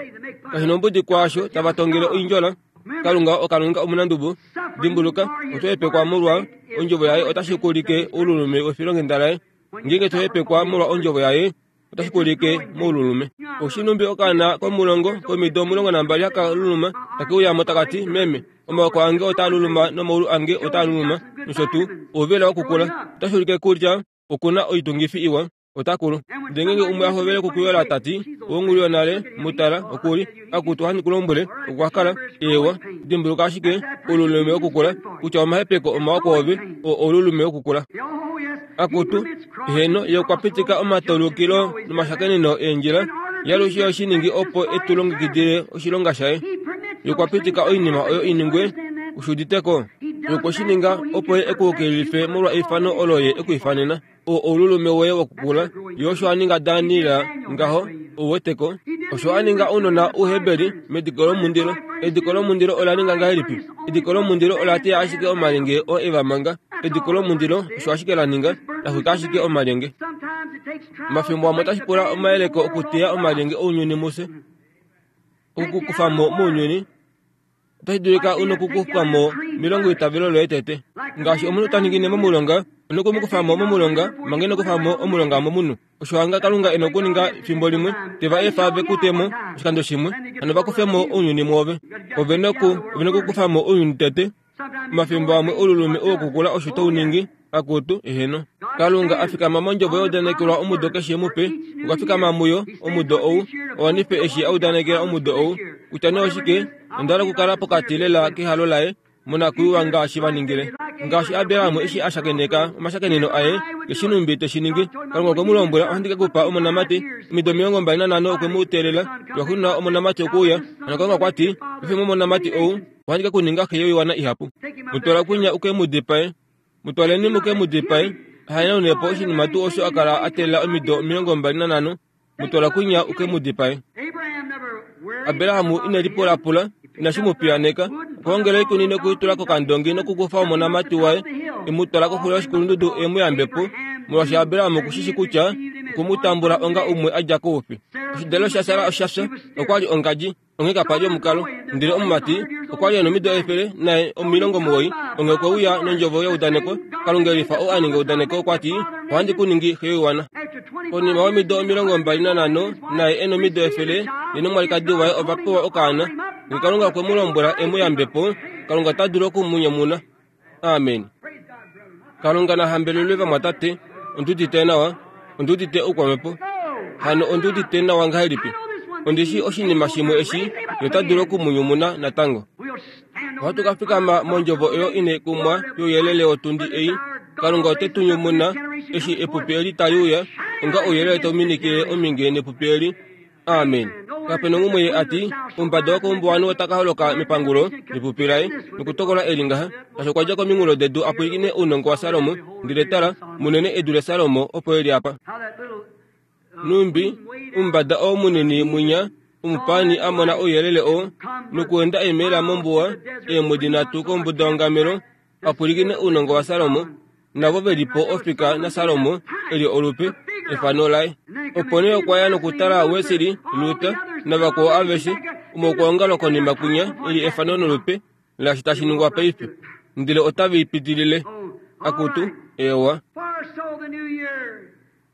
Kashi nombudi kwaasho tava tongele oindjola, Kalunga oKalunga omunandubo. Dimbuluka, oto hepekwa molwa Ondjovo Yaye otashi ku ulike oululume wefilonghenda Laye. Ngeenge to hepekwa molwa Ondjovo Yaye, otashi ku ulike moululume. Oshinumbi okaana komulongo komido 12 haka luluma take uya mo taka ti, Meme, omaoko ange otaa luluma nomaulu ange otaa luluma, nosho tuu. Ouvela wokukula. Otashi ulike kutya oku na oitungifi iwa. Ota kulu. Ndele ngeenge umwe a hovele okukuyola ta ti, Owongulu yonale, mu tala, oku li. Akutu, ohandi ku lombwele, okwa kala. Eewa. Dimbuluka ashike, oululume wokukula, kutya omahepeko omawa kwoove, oo oululume wokukula. Akutu, heeno, ye okwa pitika omataulukilo nomashakeneno eendjila, ye alushe ohe shi ningi opo e tu longekidile oshilonga shaye. Ye okwa pitika oinima oyo i ningwe, u shi udite ko? Ye okwe shi ninga opo ye e ku yukililife molwa eifano olo ye e ku ifanena. O oululume woye wokukula. Ye osho a ninga Daniel ngaho, ou wete ko. Osho a ninga ounona Ouheberi mediko lomundilo. Ediko lomundilo ola ninga ngahelipi? Ediko lomundilo ola teya ashike omalyenge oo e va manga. Ediko lomundilo osho ashike la ninga, la xwika ashike omalyenge. Omafimbo amwe otashi pula omayeleko okuteya omalyenge ounyuni mufye, oku ku kufa mo mounyuni. Otashi dulika u nokukufa mo melongo eitavelo loye tete. Ngaashi omunhu ta ningine momulonga, u noku mu kufa mo momulonga manga ino kufa mo omulonga momunhu. Osho hanga Kalunga e nokuninga fimbo limwe, te va efa ve ku te mo oshikando shimwe, hano va kufe mo ounyuni mwoove. Ove noku, ove nokukufa mo ounyuni tete. Omafimbo amwe oululume wokukula osho tau ningi, akutu, eheno. Kalunga a fikama mondjovo ya udanekelwa omudo keshe mupe, okwa fikama muyo, omudo ou, a wanife eshi a udanekela omudo ou. Kutya nee oshike, onda hala okukala pokati lela kehalo laye monakwiiwa ngaashi va ningile. Ngaashi Abraham eshi a shakeneka omashakeneno aye, keshe nhumbi te shi ningi. Kalunga okwe mu lombwela, Ohandi ke ku pa omonamati. Omido 25 okwe mu teelela, lwaxuuninwa omonamati okwe uya. Hano Kalunga okwa ti, Paife momonamati ou, Ohandi ke ku ninga xe yoiwana ihapu. Mu twala kwinya u ke mu dipae. Mu twaleni mu ke mu dipae. A hanaune po oshinima tuu osho a kala a teelela omido 25. Mu twala kwinya u ke mu dipae. Abraham ine lipulapula, inashi mu piyaneka. Okwa ongela oikuni noku i tula kokandongi nokukufa omonamati waye, e mu twala koxulo yoshikulundudu e mu yambe po, molwaashi Abraham oku shi shi kutya okwe mu tambula onga umwe a dja koufi. Oshidalelo shaSara osha fya, okwa li ongadji. Onghee kapa li omukalo. Ndele omumati okwa li e nomido 190, onghee okwe uya nondjovo yeudaneko. Kalunga e lifa ou a ninga eudaneko okwa ti, Ohandi ku ningi xe yoiwana. Konima yomido 25, naye e nomido 100, ye nomwalikadi waye ova pewa okaana. Nge Kalunga okwe mu lombwela e mu yambe po, Kalunga ota dulu oku mu nyumuna. Amen. Kalunga na hambelelwe vamwatate. Ondi udite nawa. Ondi udite oukwamhepo. Hano ondi udite nawa ngahelipi? Ondi shii oshinima shimwe eshi nota dulu oku mu nyumuna natango. Ohatu ka fikama mondjovo oyo inai kumwa youyelele wotundi ei. Kalunga ote tu nyumuna eshi epupi eli tali uya, onga ouyelele tau minikile ominge nepupi eli. Amen. Kape nongumwe ye a ti, Omumbada wokoumbuwanhu ota ka holoka mepangulo nepupi laye nokutokola eli ngaha. Shaashi okwa dja kominghulo dedu a pwilikine ounongo waSalomo, ndele tala, munene e dule Salomo opo e li apa. Nhumbi omumbada oo munini mwinya omupaani a mona ouyelele oo, nokuenda eemela mombuwa eemwedi nhatu kombuda yongamelo, a pwilikine ounongo waSalomo, navo ve li po ofika naSalomo e li olupe, efano laye. Opo nee okwa ya nokutala Wesley, Luther navakwao aveshe, omaukwaongalo konima kwinya e li efano nolupe laashi tashi ningwa paife, ndele otave i pitilile. Akutu, eewa.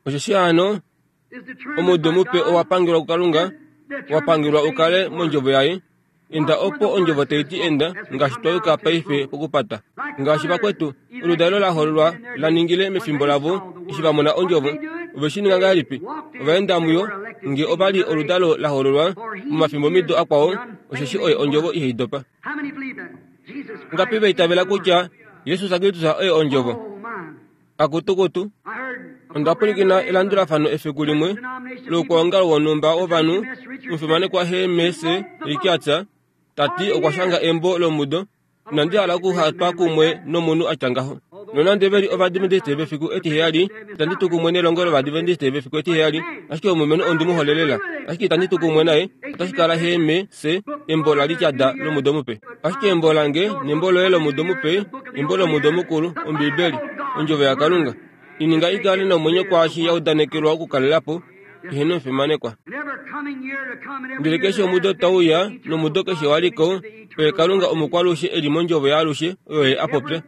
Osheshi hano omudo mupe owa pangelwa kuKalunga, wa pangelwa u kale mondjovo yaye. Enda opo ondjovo tai ti enda, ngaashi twa yuka paife pokupata. Ngaashi vakwetu, oludalo la hololwa la ningile mefimbo lavo eshi va mona ondjovo. Ove shi ninga ngahelipi? Ova enda muyo, nge ova li oludalo la hololwa momafimbomido akwao, osheshi oye ondjovo ihai dopa. Ngapi va itavela kutya Jesus Kristus oye ondjovo? Akutukutu, onda pwilikina elandulafano efiku limwe loukwaongalo wonhumba wovanhu, omufimanekwa H.M.S. Ricketts ta ti okwa shanga embo lomudo. Inandi hala okuhatwa kumwe nomunhu a tya ngaho. Nonande ve li Ovadventiste vefiku etiheyali, itandi tu kumwe nelongo lOvadventiste vefiku etiheyali, ashike omulumenhu ondi mu hole lela. Ashike itandi tu kumwe naye, otashi kala H.M.S. Embo laRichard lomudo mupe. Ashike embo lange nembo loye lomudo mupe, embo lomudo mukulu, Ombibeli, Ondjovo yaKalunga, i ninga i kale nomwenyo kwaashi ya udanekelwa okukalela po, eheno omufimanekwa. Ndele keshe omudo tau uya, nomudo keshe wa li ko, oye Kalunga omukwalushe e li mOndjovo yaalushe oyo Ye a popya.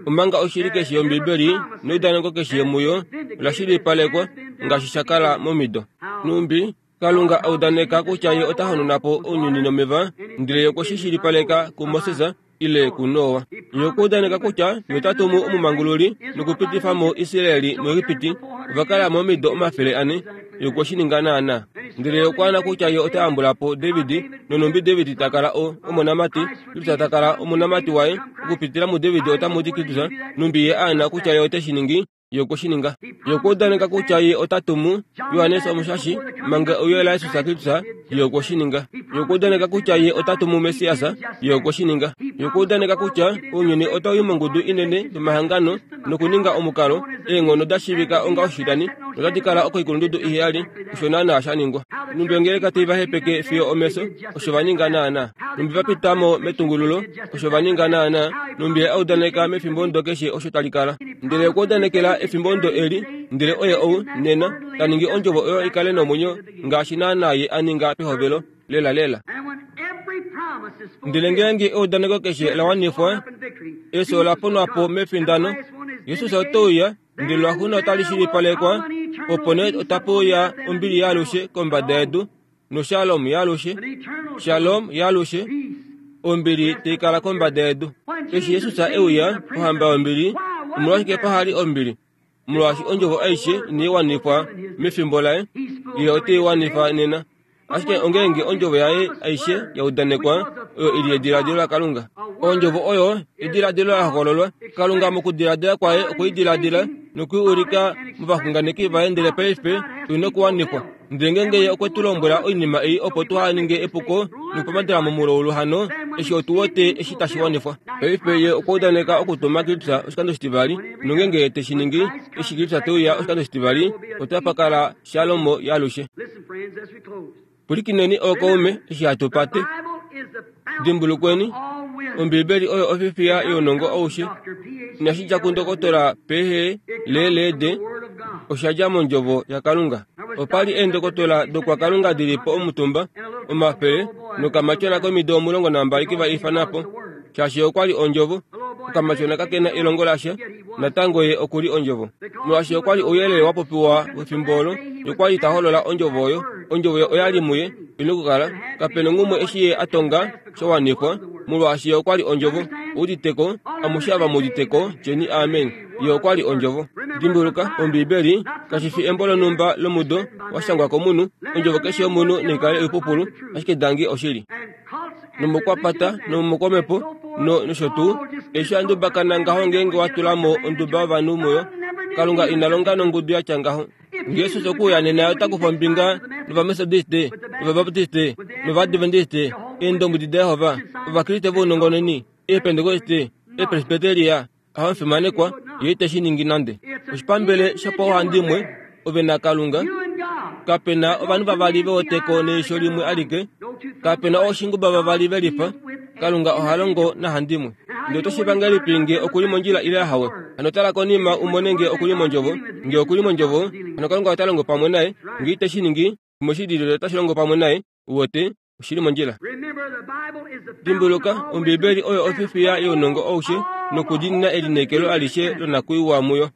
Omanga oshili keshe yOmbibeli neudaneko keshe muyo ola shilipalekwa ngaashi sha kala momido. Nhumbi Kalunga a udaneka kutya ye ota hanuna po ounyuni nomeva, ndele ye okwe shi shilipaleka kuMoses ile kuNoa. Ye okwa udaneka kutya ye ota tumu omumangululi nokupitifa mo Israel muEgipiti. Ova kala mo omido 400. Ye okwe shi ninga naanaa. Ndele ye okwa ana kutya ye ota yambula po David, nonhumbi David ta kala o, omonamati, Kristus ta kala omonamati waye, okupitila muDavid otamu di Kristus, nhumbi ye a ana kutya ye ote shi ningi, Ye okwe shi ninga. Ye okwa udaneka kutya ye ota tumu Johannes Omushashi manga euyo laJesus Kristus. Ye okwe shi ninga. Ye okwa udaneka kutya ye ota tumu Messias. Ye okwe shi ninga. Ye okwa udaneka kutya ounyuni otau i mongudu inene yomahangano nokuninga omukalo, eenghono da shiivika onga oshilani, notadi kala okoikulundudu iheyali. Osho naanaa sha ningwa. Nhumbi ongeleka tai va hepeke fiyo omefyo, osho va ninga naanaa. Nhumbi va pita mo metungululo, osho va ninga naanaa. Nhumbi Ye a udaneka mefimbomudo keshe osho tali kala. Ndele okwa udanekela efimbomudo eli, ndele oye ou, nena, ta ningi Ondjovo oyo i kale nomwenyo ngaashi naanaa Ye a ninga pehovelo. Lelalela. Ndele ngeenge eudaneko keshe la wanifwa, efyo ola ponwa po mefindano, Jesus ote uya, ndele lwaxuuninwa otali shilipalekwa, opo nee otape uya ombili yaalushe kombada yedu, noshalom yaalushe, shalom yaalushe, ombili tai kala kombada yedu. Eshi Jesus e uya, Ohamba yombili, omolwashike paha li ombili? Molwaashi ondjovo aishe inai wanifwa mefimbo laye, ye ote i wanifa nena. Ashike ongeenge ondjovo yaye aishe ya udanekwa, oyo i li ediladilo laKalunga. Ondjovo oyo ediladilo la hokololwa. Kalunga mokudiladila kwaye okwe i diladila noku i ulika movaxunganeki vaye ndele paife oi nokuwanifwa. Ndele ngeenge Ye okwe tu lombwela oinima ei opo tuha ninge epuko nokupamadela momulaulu hano, eshi otu wete eshi tashi wanifwa. Paife Ye okwa udaneka okutuma Kristus oshikando oshitivali, nongeenge Ye te shi ningi, eshi Kristus te uya oshikando oshitivali, otapa kala Shalom yaalushe. Pwilikineni ookaume eshi hatu pate. Dimbulukweni, Ombibeli oyo ofifiya younongo aushe. Inashi dja kundokotola P. L. D. Osha dja mOndjovo yaKalunga. Opa li eendokotola dokwakalunga di li po omutumba, omafele, nokamatyona komido 12 ke va ifana po, shaashi okwa li Ondjovo. Okamatyona kake na elongo lasha, natango ye oku li Ondjovo. Molwaashi okwa li ouyelele wa popiwa wefimbo olo, ye okwa li ta holola Ondjovo oyo. Ondjovo oya li muye, i nokukala. Kape nongumwe eshi ye a tonga sha wanifwa, molwaashi ye okwa li Ondjovo. Ou udite ko? Amushe ava mu udite ko, tyeni amen. Ye okwa li Ondjovo. Dimbuluka, Ombiibeli kashi fi embo lonhumba lomudo wa shangwa komunhu. Ondjovo keshe yomunhu nai kale oipupulu, ashike dangi oshili. Nomokwapata nomokwomhepo no nosho tuu eshi a ndubakana ngaho ngeenge wa tula mo onduba yovanhu muyo kalunga ina longa nongudu ya tya ngaho ngeesus okuuya nena ota kufa ombinga novametodiste novabaptiste novadventiste eendombwedi dajehova ovakriste vounongononi eepentekoste eepresbiteria Ahamufimanekwa, ye ite shi ningi nande. Oshipambele shopauhandimwe, ove naKalunga. Kape na ovanhu vavali ve wete neisho limwe alike. Kape na ooshinguba vavali ve lifa. Kalunga oha longo nahandimwe. Ndele oto shiiva ngahelipi nge oku li mondjila ile ahawe? Hano tala konima u mone nge oku li mondjovo. Nge oku li mondjovo, hano Kalunga ota longo pamwe naye. Nge ite shi ningi, shimwe shi lili otashi longo pamwe naye. Uwete? Oshi li mondjila. Dimbuluka, Ombibeli oyo ofifiya younongo aushe nokudiinina elineekelo alishe lonakuiwa muyo.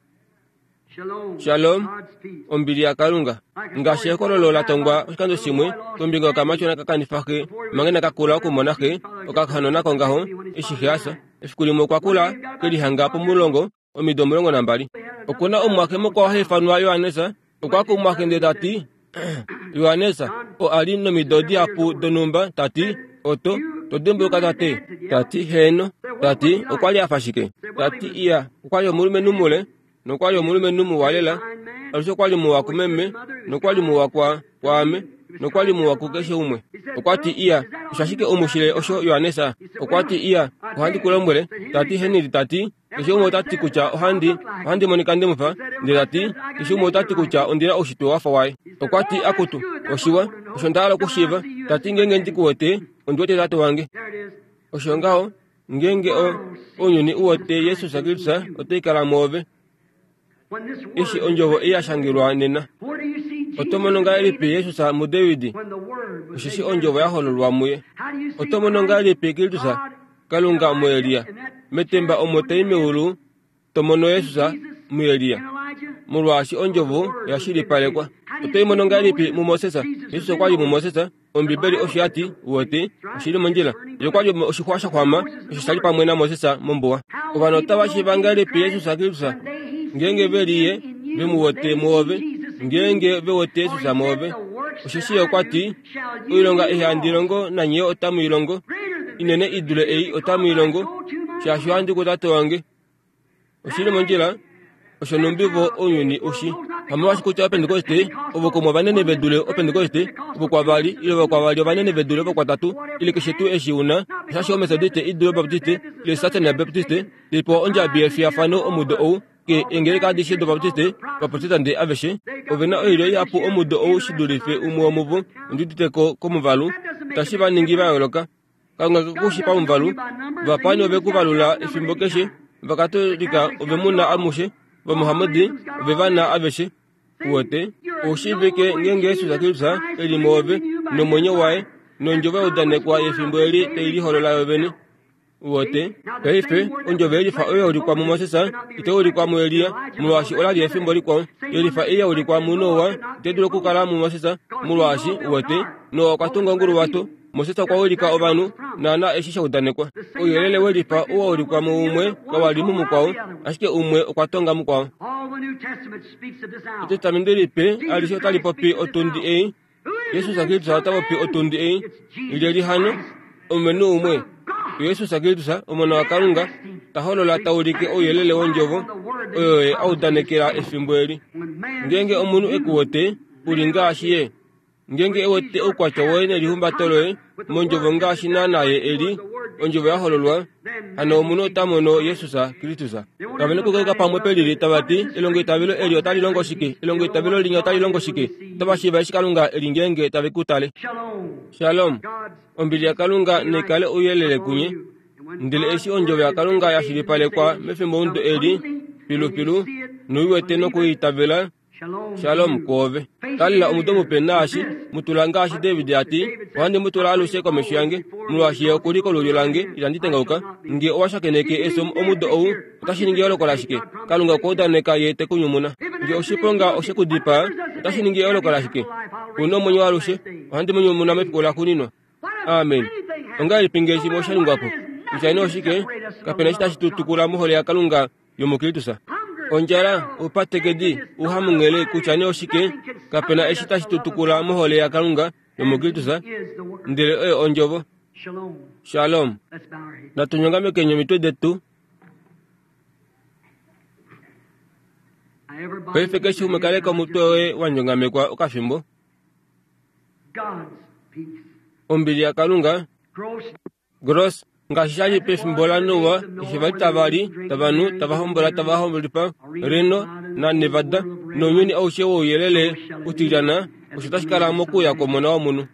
Shalom, ombili yaKalunga. Ngaashi ekololo la tongwa oshikando shimwe kombinga yokamatyona ka kanifa xe manga inaka kula okumona xe, okahanona kongaho eshi xe a fya. Efiku limwe okwa kula ke lihanga pomulongo omido 12. Oku na omumwaxe mukwao ha ifanwa Johannes. Okwa kumwaxe ndele ta ti, Johannes, oo a li nomido dihapu donhumba, ta ti, Oto to dimbuluka tate? Ta ti, Heeno. Ta ti, Okwa li a fa shike? Ta ti, Iya, okwa li omulumenhu mule, nokwa li omulumenhu muwa lela. Alushe okwa li muwa kumeme, nokwa li muwa kwa, kwaame, nokwa li muwa kukeshe umwe. Okwa ti, Iya, osho ashike u mu shile osho, Johannes? Okwa ti, Iya, ohandi ku lombwele. Ta ti, Henry, ta ti, Keshe umwe ota ti kutya ohandi, ohandi monika nde mu fa, ndele ta ti, keshe umwe ota ti kutya ondi na oushitwe wa fa waye. Okwa ti, Akutu, oshiwa, osho nda hala okushiiva. Ta ti, Ngeenge ndi ku wete, ondi wete tate wange. Osho ngaho, ngeenge o, ounyuni u wete Jesus Kristus, otai kala mwoove. Eshi ondjovo ei ya shangelwa nena. Oto mono ngahelipi Jesus muDavid? Osheshi ondjovo ya hololwa muye. Oto mono ngahelipi Kristus? Kalunga muElia. Metemba omo tai meulu to mono Jesus muElia. Molwaashi ondjovo oya shilipalekwa. Oto i mono ngahelipi muMoses? Jesus okwa li muMoses. Ombibeli osho ya ti, uwete, oshi li mondjila. Ye okwa li oshixwa sha xwama osho sha li pamwe naMoses mombuwa. Ovanhu otava shiiva ngahelipi Jesus Kristus? Ngeenge ve li ye, ve mu wete mwoove. Ngeenge ve wete Jesus mwoove. Osheshi ye okwa ti, Oilonga ei handi longo nanye yo otamu i longo, inene i dule ei otamu i longo, shaashi ohandi kuTate wange. Oshi li mondjila, osho nhumbi vo ounyuni u shi. Hamolwaashi kutya Opentekoste ovo kumwe ovanene ve dule Opentekoste vokwavali, ile vokwavali ovanene ve dule vokwatatu, ile keshe tuu eshi u na, oshashi Ometodiste i dule Obaptiste, ile Satana yaBaptiste, tai pewa ondjabi yefiyafano omudo ou, ke eengeleka adishe dObaptiste, Ovaprotestante aveshe, ove na oilyo ihapu omudo ou shi dulife umwe womuvo, ondi udite ko komuvalu, tashi va ningi va yooloka. Kalunga ke ku shi pamuvalu. Ovapaani ove ku valula efimbo keshe. Ovakatolika ove mu na amushe. Ovamuhamadi ove va na aveshe. Uwete? Ou shiivike ngeenge Jesus Kristus e li mwoove, nomwenyo waye, nondjovo ya udanekwa yefimbo eli tai liholola yovene. Uwete? Paife, ondjovo yelifa oyo ya ulikwa muMoses itai ulikwa muElia, molwaashi ola li efimbo likwao. Yelifa ei ya ulikwa muNoa itai dulu okukala muMoses, molwaashi, uwete, Noa okwa tunga onguluwato. Moses okwa wilika ovanhu, naana eshi sha udanekwa. Ouyelele welifa oo wa ulikwa muumwe kawa li mumukwao, ashike umwe okwa tonga mukwao. Etestamende Lipe alishe otali popi otundi ei. Jesus Kristus ota popi otundi ei. Lyelye hano? Omulumenhu umwe. Jesus Kristus, Omona waKalunga, ta holola ta ulike ouyelele wondjovo oyo ye a udanekela efimbo eli. Ngeenge omunhu e ku wete, u li ngaashi ye. Ngeenge e wete oukwatya woye nelihumbato loye mondjovo ngaashi naanaa ye e li, ondjovo ya hololwa, hano omunhu ota mono Jesus Kristus. Kave na okukaleka pamwe pelili tava ti, Elongoitavelo eli otali longo shike? Elongoitavelo linya otali longo shike? Otava shiiva eshi Kalunga e li ngeenge tave ku tale. Shalom. Ombili yaKalunga nai kale ouyelele kunye. Ndele eshi ondjovo yaKalunga ya shilipalekwa mefimbomudo eli, filufilu, noi wete noku i itavela, Shalom kwoove. Kalila omudo mupe naashi, mu tula ngaashi David a ti, Ohandi mu tula alushe komesho yange, molwaashi ye oku li kolulyo lange, itandi tengauka. Nge owa shakeneke efyo omudo ou, otashi ningi eyooloko lashike? Kalunga okwa udaneka ye te ku nyumuna. Nge oshiponga oshe ku dipaa, otashi ningi eyooloko lashike? Ku na omwenyo waalushe, ohandi mu nyumuna mefiku laxuuninwa. Amen. Ongahelipi nge shimwe osha ningwa po? Kutya nee oshike, kape na eshi tashi tu tukula mohole yaKalunga yomuKristus. Ondjala, oupatekedi, ouhamunghele, kutya nee oshike, kape na eshi tashi tu tukula mohole yaKalunga yomuKristus, ndele oyo Ondjovo. Shalom. Natu nyongamekeni omitwe detu. Paife keshe umwe kaleka omutwe woye wa nyongamekwa okafimbo. Ombili yaKalunga. Gross, ngaashi sha li pefimbo laNoa, eshi va li tava li, tava nu, tava hombola, tava hombolifa, Reno naNevada, nounyuni aushe wouyelele utilyana, osho tashi kala mokuuya kwOmona wOmunhu.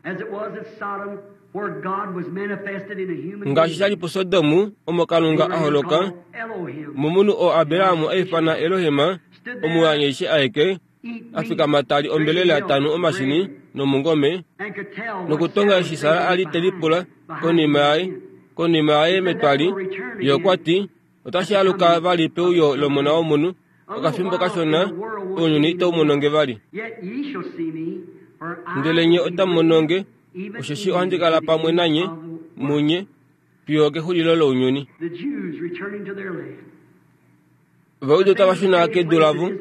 Ngaashi sha li puSodom, omo Kalunga a holoka momunhu oo Abraham a ifana Elohim, Omuyaanyeishi aeke, a fikama ta li ombelela ta nu omashini nomungome, nokutonga eshi Sara a li te lipula konima yaye, konima yaye metwali, ye okwa ti, Otashi aluka vali peuyo lOmona wOmunhu, okafimbo kashona, ounyuni itau mono nge vali. Ndele nye otamu mono nge, osheshi ohandi kala pamwe nanye, munye, fiyo okexulilo lounyuni. Ovajuda otava shuna kedu lavo.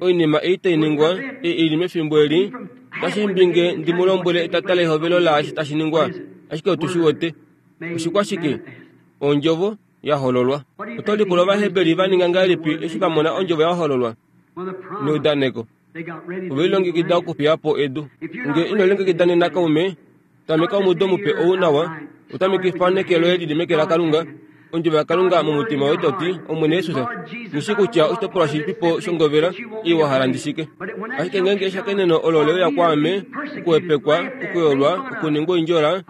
Oinima ei tai ningwa, ei i li mefimbo eli, otashi imbi nge ndi mu lombwele etata lehovelo laashi tashi ningwa, ashike otu shi wete. Oshikwashike? Ondjovo ya hololwa. Oto lipula Ovaheberi va ninga ngahelipi eshi va mona ondjovo ya hololwa neudaneko? Ove lilongekida okufiya po edu. Nge ino lilongekida nena kaume, tameka omudo mupe ou nawa, u tamekifa neke loye li li meke laKalunga, ondjovo yaKalunga momutima woye to ti, Omwene Jesus, nghi shii kutya oshitopolwa shilipipo shongovela ei wa hala ndi shike. Ashike ngeenge eshakeneno olo le uya kwaame, okuhepekwa, okuyolwa, okuningwa oindjola,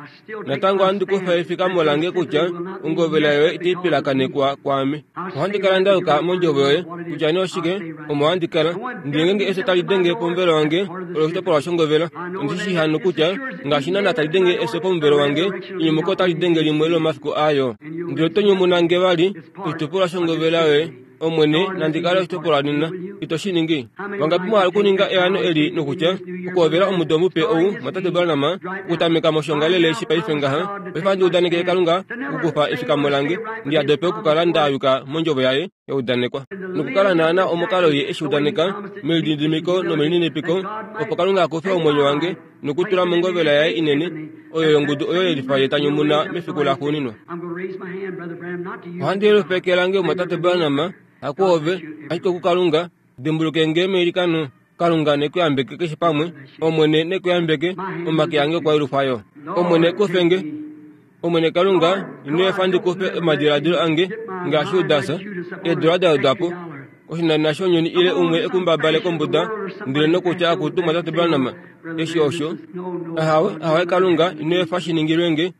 Natango ohandi kufa efikamo lange kutya ongovela yoye itai pilakanekwa kwaame. Ohandi kala nda yuka mondjovo yoye, kutya nee oshike, omo handi kala. Ndele ngeenge efyo tali denge pomuvelo wange, olo oshitopolwa shongovela. Ondi shi shii hano kutya ngaashi naanaa tali denge efyo pomuvelo wange, enyumuko otali denge limwe lomomafiku aayo. Ndele oto nyumuna nge vali, oshitopolwa shongovela yoye. Omwene, nandi kale oshitopolwa nena. Ito shi ningi? Vangapi mwa hala okuninga eano eli nokutya, okuhovela omudo mupe ou, Mwatate Branham, okutameka moshiongalele eshi paife ngaha, paife ohandi udanekele Kalunga okukufa efikamo lange, ndi yadope okukala nda yuka mOndjovo Yaye ya udanekwa, nokukala naana omukalo Ye eshi udaneka, melididimiko nomelininipiko, opo Kalunga a kufe omwenyo wange nokutula mongovela Yaye inene, oyo yongudu oyo yelifa Ye ta nyumuna mefiku laxuuninwa. Ohandi yelufekela nge Mwatate Branham, hakuove, ashike okuKalunga, Dimbuluke nge meilikano. Kalunga ne ku yambeke keshe pamwe. Omwene ne ku yambeke. Omake ange okwa yelufwa yo. Omwene kufe nge. Omwene Kalunga, ino efa ndi kufe omadiladilo ange ngaashi Judas, eedula da wedwa po, oshinanena shounyuni ile umwe e ku mbabale kombuda ndele nokutya akutu Mwatate Branham, eshi osho. Ahawe, ahawe Kalunga, ino efa shi ningilwe nge.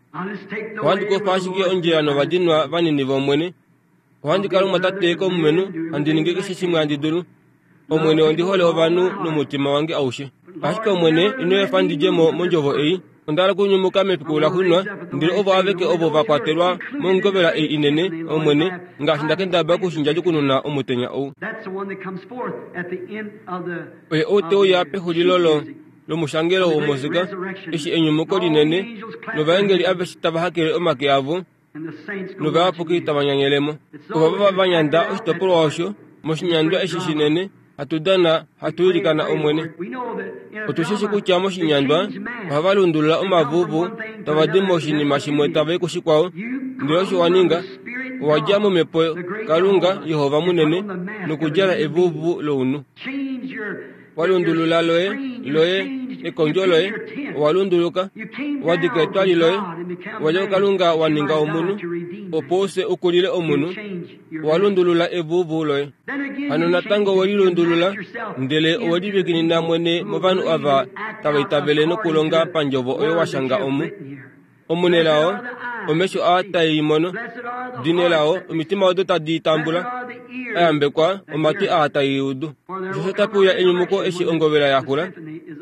Ohandi kufa ashike ondjila novadinwa vanini vOmwene. Ohandi kala omumwatate komumenhu, handi ningi keshe shimwe handi dulu. Omwene, ondi hole ovanhu nomutima wange aushe. Ashike Omwene, ino efa ndi dje mo mondjovo ei. Onda hala okunyumuka mefiku laxuuninwa, ndele ovo aveke ovo va kwatelwa mongovela ei inene, Omwene, ngaashi nda kendabala oku shi ndjadjukununa omutenya ou. Oye ou te uya pexulilo lo, lomushangelo womusika, eshi enyumuko linene, novaengeli aveshe tava hakele omake avo, novayapuki tava nyanyele mo. Ovava va nyanda oshitopolwa osho moshinyandwa eshi shinene hatu dana hatu ilikana Omwene. Otu shi shi kutya moshinyandwa ohava lundulula omavuvu tava di moshinima shimwe tava i kushikwao, ndele osho wa ninga, owa dja momhepo Kalunga Jehova munene nokudjala evuvu lounhu. Wa lundulula loye, loye, ekondjo loye, owa lunduluka, wa dika etwali loye, wa dja kuKalunga wa ninga omunhu, opo use u kulile omunhu, owa lundulula evuvu loye. Hano natango we lilundulula, ndele owe livikinina mwene movanhu ava tava itavele nokulonga pandjovo oyo wa shanga omu. Omunelao, omesho aa tae i mono, dinelao, omitima odo tadi i tambula, a yambekwa omatwi aa tae i udu. Osheshi otape uya enyumuko eshi ongovela ya xula.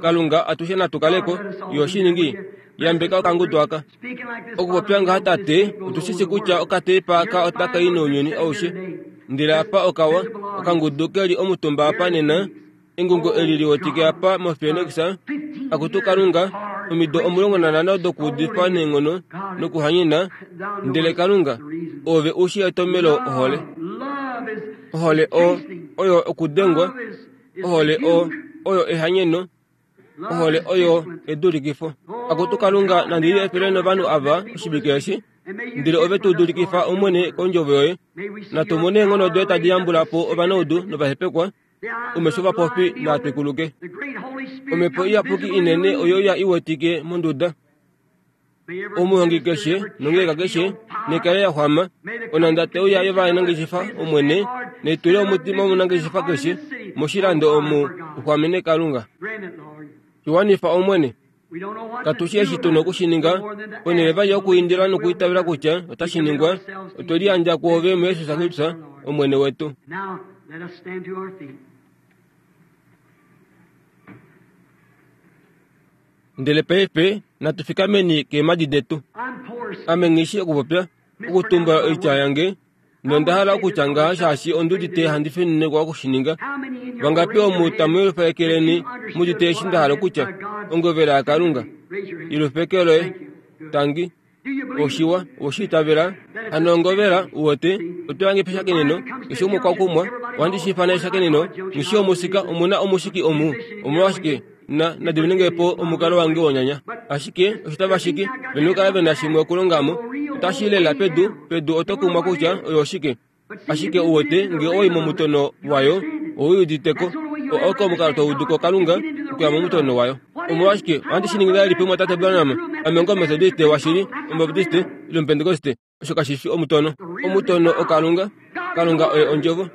Kalunga, atushe natu kale ko, yo shi ningi. Yambeka okangudu aka. Okupopya ngaha, Tate, otu shi shi kutya okateipa aka otaka i nounyuni aushe. Ndele apa okawa, okangudu ke li omutumba apa nena, Engungo eli li wetike apa moPhoenix, akutu Kalunga, omido 15 dokuudifa neenghono nokuhanyena, ndele Kalunga, Oove u shii etomhelo ohole. Ohole o, oyo okudengwa. Ohole o, oyo ehanyeno. Ohole oyo edulikifo. Akutu Kalunga, nandi liefele novanhu ava oshivike eshi, ndele ove tu dulikifa Omwene kondjovo yoye. Natu mone eenghono doye tadi yambula po ovanaudu novahepekwa, omesho ovapofi naa twikuluke. Omhepo Iyapuki inene oyo ya i wetike monduda. Omuhongi keshe nongeleka keshe nekale ya xwama, onhanda te uya yovanangeshefa Omwene, naitule omutima womunangeshefa keshe moshilando omu u xwamene Kalunga. Shi wanifa Omwene. Katu shi eshi tu na oku shi ninga, ponhele vali yokuindila nokuitavela kutya otashi ningwa, otwe liyandja kwoove muJesus Kristus, Omwene wetu. Ndele paife natu fikameni keemhadi detu. Ame nghi shii okupopya, okutumbula oitya yange, nonda hala okutya ngaha shaashi ondi udite handi fininikwa oku shi ninga. Vangapi omu tamu yelufa eke leni mu udite eshi nda hala okutya? Ongovela yaKalunga. Yelufa eke loye. Tangi. Oshiwa, owe shi itavela? Hano ongovela, u wete, oto yange peshakeneno, keshe umwe okwa kumwa, ohandi shi ifana eshakeneno, nghi shii omusika, omu na omushiki omu. Omolwashike, na, na diminenge po omukalo wange wonyanya. Ashike, osho tava shiki, ve nokukala ve na shimwe okulonga mo. Otashi i lela pedu, pedu oto kumwa kutya oyo oshike. Ashike u wete, nge oi momutono wayo, ou i udite ko. O, oko omukalo to udu ko Kalunga, okuya momutono wayo. Omolwashike, ohandi shi ningi ngahelipi, Mumwatate Branham? Ame onga Omumetodiste washili, Omubaptiste, ile Omupentekoste. Osho kashi fi omutono. Omutono oKalunga. Kalunga oye Ondjovo.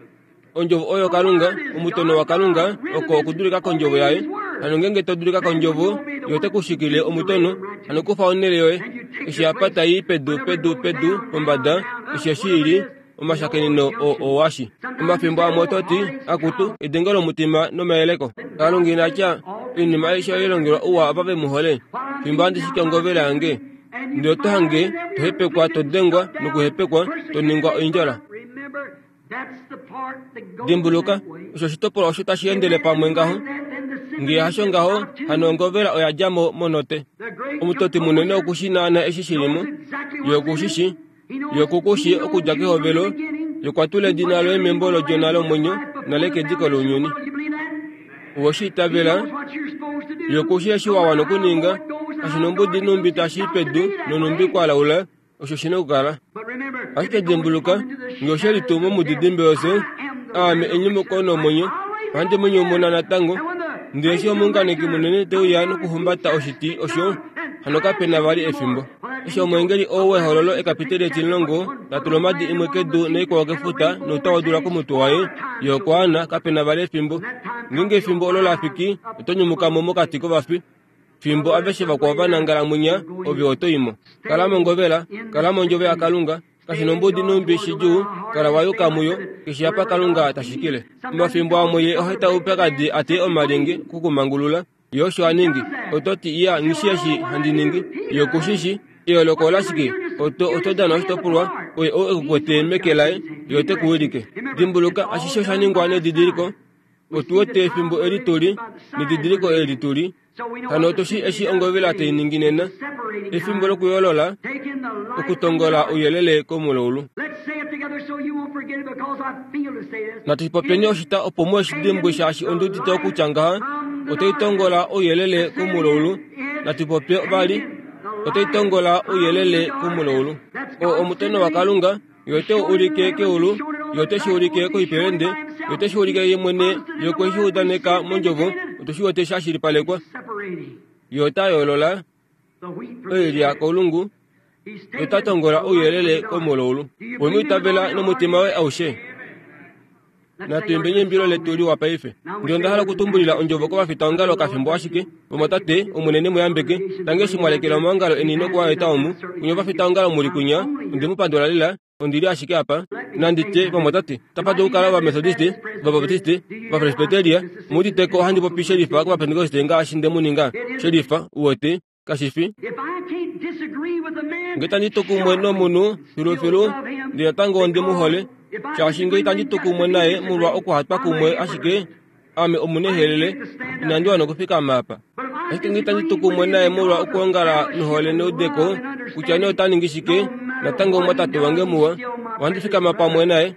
Ondjovo oyo Kalunga, omutono waKalunga oko okudulika kOndjovo Yaye. Hano ngeenge to dulika kOndjovo, Ye ote ku shikile omutono. Hano kufa onhele yoye. Eshi apa tai i pedu, pedu, pedu, pombada, eshi eshi i li, omashakeneno o, owashi. Omafimbo amwe oto ti, Akutu, edengo lomutima nomayeleko. Kalunga ina tya, Oinima aishe oye longelwa ouwa ava ve mu hole. Fimbo handi shiki ongovela yange, ndele oto hange to hepekwa, to dengwa nokuhepekwa, to ningwa oindjola. Dimbuluka, osho oshitopolwa osho tashi endele pamwe ngaho. Nge hasho ngaho, hano ongovela oya dja mo monote. Omutoti munene oku shi naana eshi shi li mo. Ye oku shi shi. Ye oku ku shii okudja kehovelo. Ye okwa tula edina loye membo lOdjona lomwenyo nale kediko lounyuni. Owe shi itavela? Ye oku shii eshi wa wana okuninga, kashi nombudi nhumbi tashi i pedu nonhumbi kwa laula. Osho shi na okukala. Ashike dimbuluka, nge oshe li tuu momudidimbe wefyo, aame enyumuko nomwenyo, ohandi mu nyumuna natango. Ndele eshi omuunganeki munene te uya nokuhumbata oshiti osho, hano kape na vali efimbo. Eshi omweengeli oo wehololo ekapiteli etimulongo ta tula omadi imwe kedu naikwao kefuta nouta wodula komutwe waye, ye okwa ana, kape na vali efimbo. Ngeenge efimbo olo la fiki, oto nyumuka mo mokati kovafi. Fimbo aveshe vakwao va nangala mwinya, ove oto i mo. Kala mongovela, kala mondjovo yaKalunga, kashi nombudi nhumbi shidjuu, kala wa yuka muyo, keshe apa Kalunga ta shikile. Omafimbo amwe Ye oha eta oupyakadi a teye omalyenge oku ku mangulula. Ye osho a ningi. Oto ti, Iya, nghi shii eshi handi ningi. Ye oku shi shii. Eyooloko olashike? Oto, oto dana oshitopolwa, oye ou e ku kwete meke laye, Ye ote ku wilike. Dimbuluka, ashishe osha ningwa nedidiliko. Otu wete efimbo eli tu li, nedidiliko eli tu li. Hano otu shii eshi ongovela tai ningi nena, efimbo lokuyoolola, okutongola ouyelele komulaulu. Natu shi popyeni oshita opo muhe shi dimbwe shaashi ondi udite okutya ngaha, otai tongola ouyelele komulaulu. Natu popye vali, otai tongola ouyelele komulaulu. Oo omutono waKalunga. Ye ote u ulike keulu, ye ote shi ulike koipelende, ye ote shi ulike ye mwene, ye okwe shi udaneka mondjovo, otu shi wete sha shilipalekwa. Ye ota yoolola oilya koulungu, ye ota tongola ouyelele komulaulu. We mu itavela nomutima woye aushe? Natu imbeni eimbilo letu liwa paife. Ndele onda hala okutumbulila ondjovo kovafitaongalo okafimbo ashike. Vamwatate, Omwene ne mu yambeke. Tangi eshi mwa lekela omaongalo eni noku a eta omu. Kunye ovafitaongalo mu li kunya, onde mu pandula lela. Ondi li ashike apa. Nandi tye, vamwatate, otapa dulu okukala Ovametodiste, Ovabaptiste, Ovapresbiteria, mu udite ko ohandi popi shelifa kOvapentekoste ngaashi nde mu ninga. Shelifa, uwete. Kashi fi. Nge itandi tu kumwe nomunhu filufilu, ndele natango ondi mu hole, shaashi nge itandi tu kumwe naye molwa okuhatwa kumwe ashike, ame omunehelele, inandi wana okufikama apa. Ashike nge itandi tu kumwe naye molwa okwoongala nohole neudeko, kutya nee ota ningi shike, natango omumwatate wange muwa, ohandi fikama pamwe naye.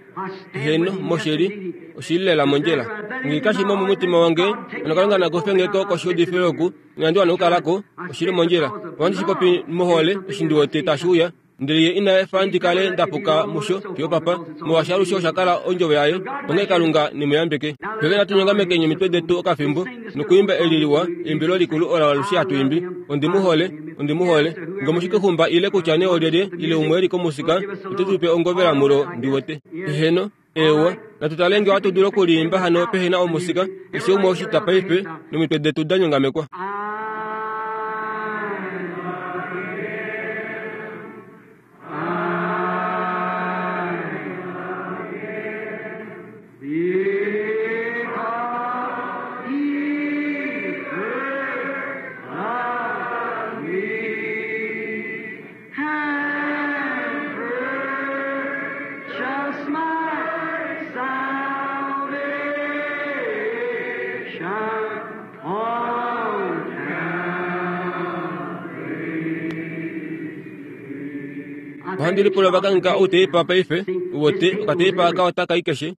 Heeno, moshili, oshi li lela mondjila. Nge kashi mo momutima wange, hano Kalunga na kufe nge ko koshiudifilo oku, inandi wana okukala ko, oshi li mondjila. Ohandi shi popi mohole, eshi ndi wete tashi uya. Ndele ye ina efa ndi kale nda puka musho fiyo papa, molwaashi alushe osha kala ondjovo yaye. Onghee Kalunga ne mu yambeke. Paife natu nyongamekeni omitwe detu okafimbo nokuimba eli liwa, eimbilo likulu olo alushe hatu imbi, Ondi mu hole, ondi mu hole. Nge omushikixumba ile kutya nee olyelye ile umwe e li komusika, ote tu pe ongovela mulo, ndi wete. Eheno, eewa. Natu tale nge ohatu dulu okuliimba hano pehe na omusika, keshe umwe oshitwa paife, nomitwe detu da nyongamekwa. Ohandi lipula va kangheka outeipa paife, uwete, okateipa aka otaka i keshe.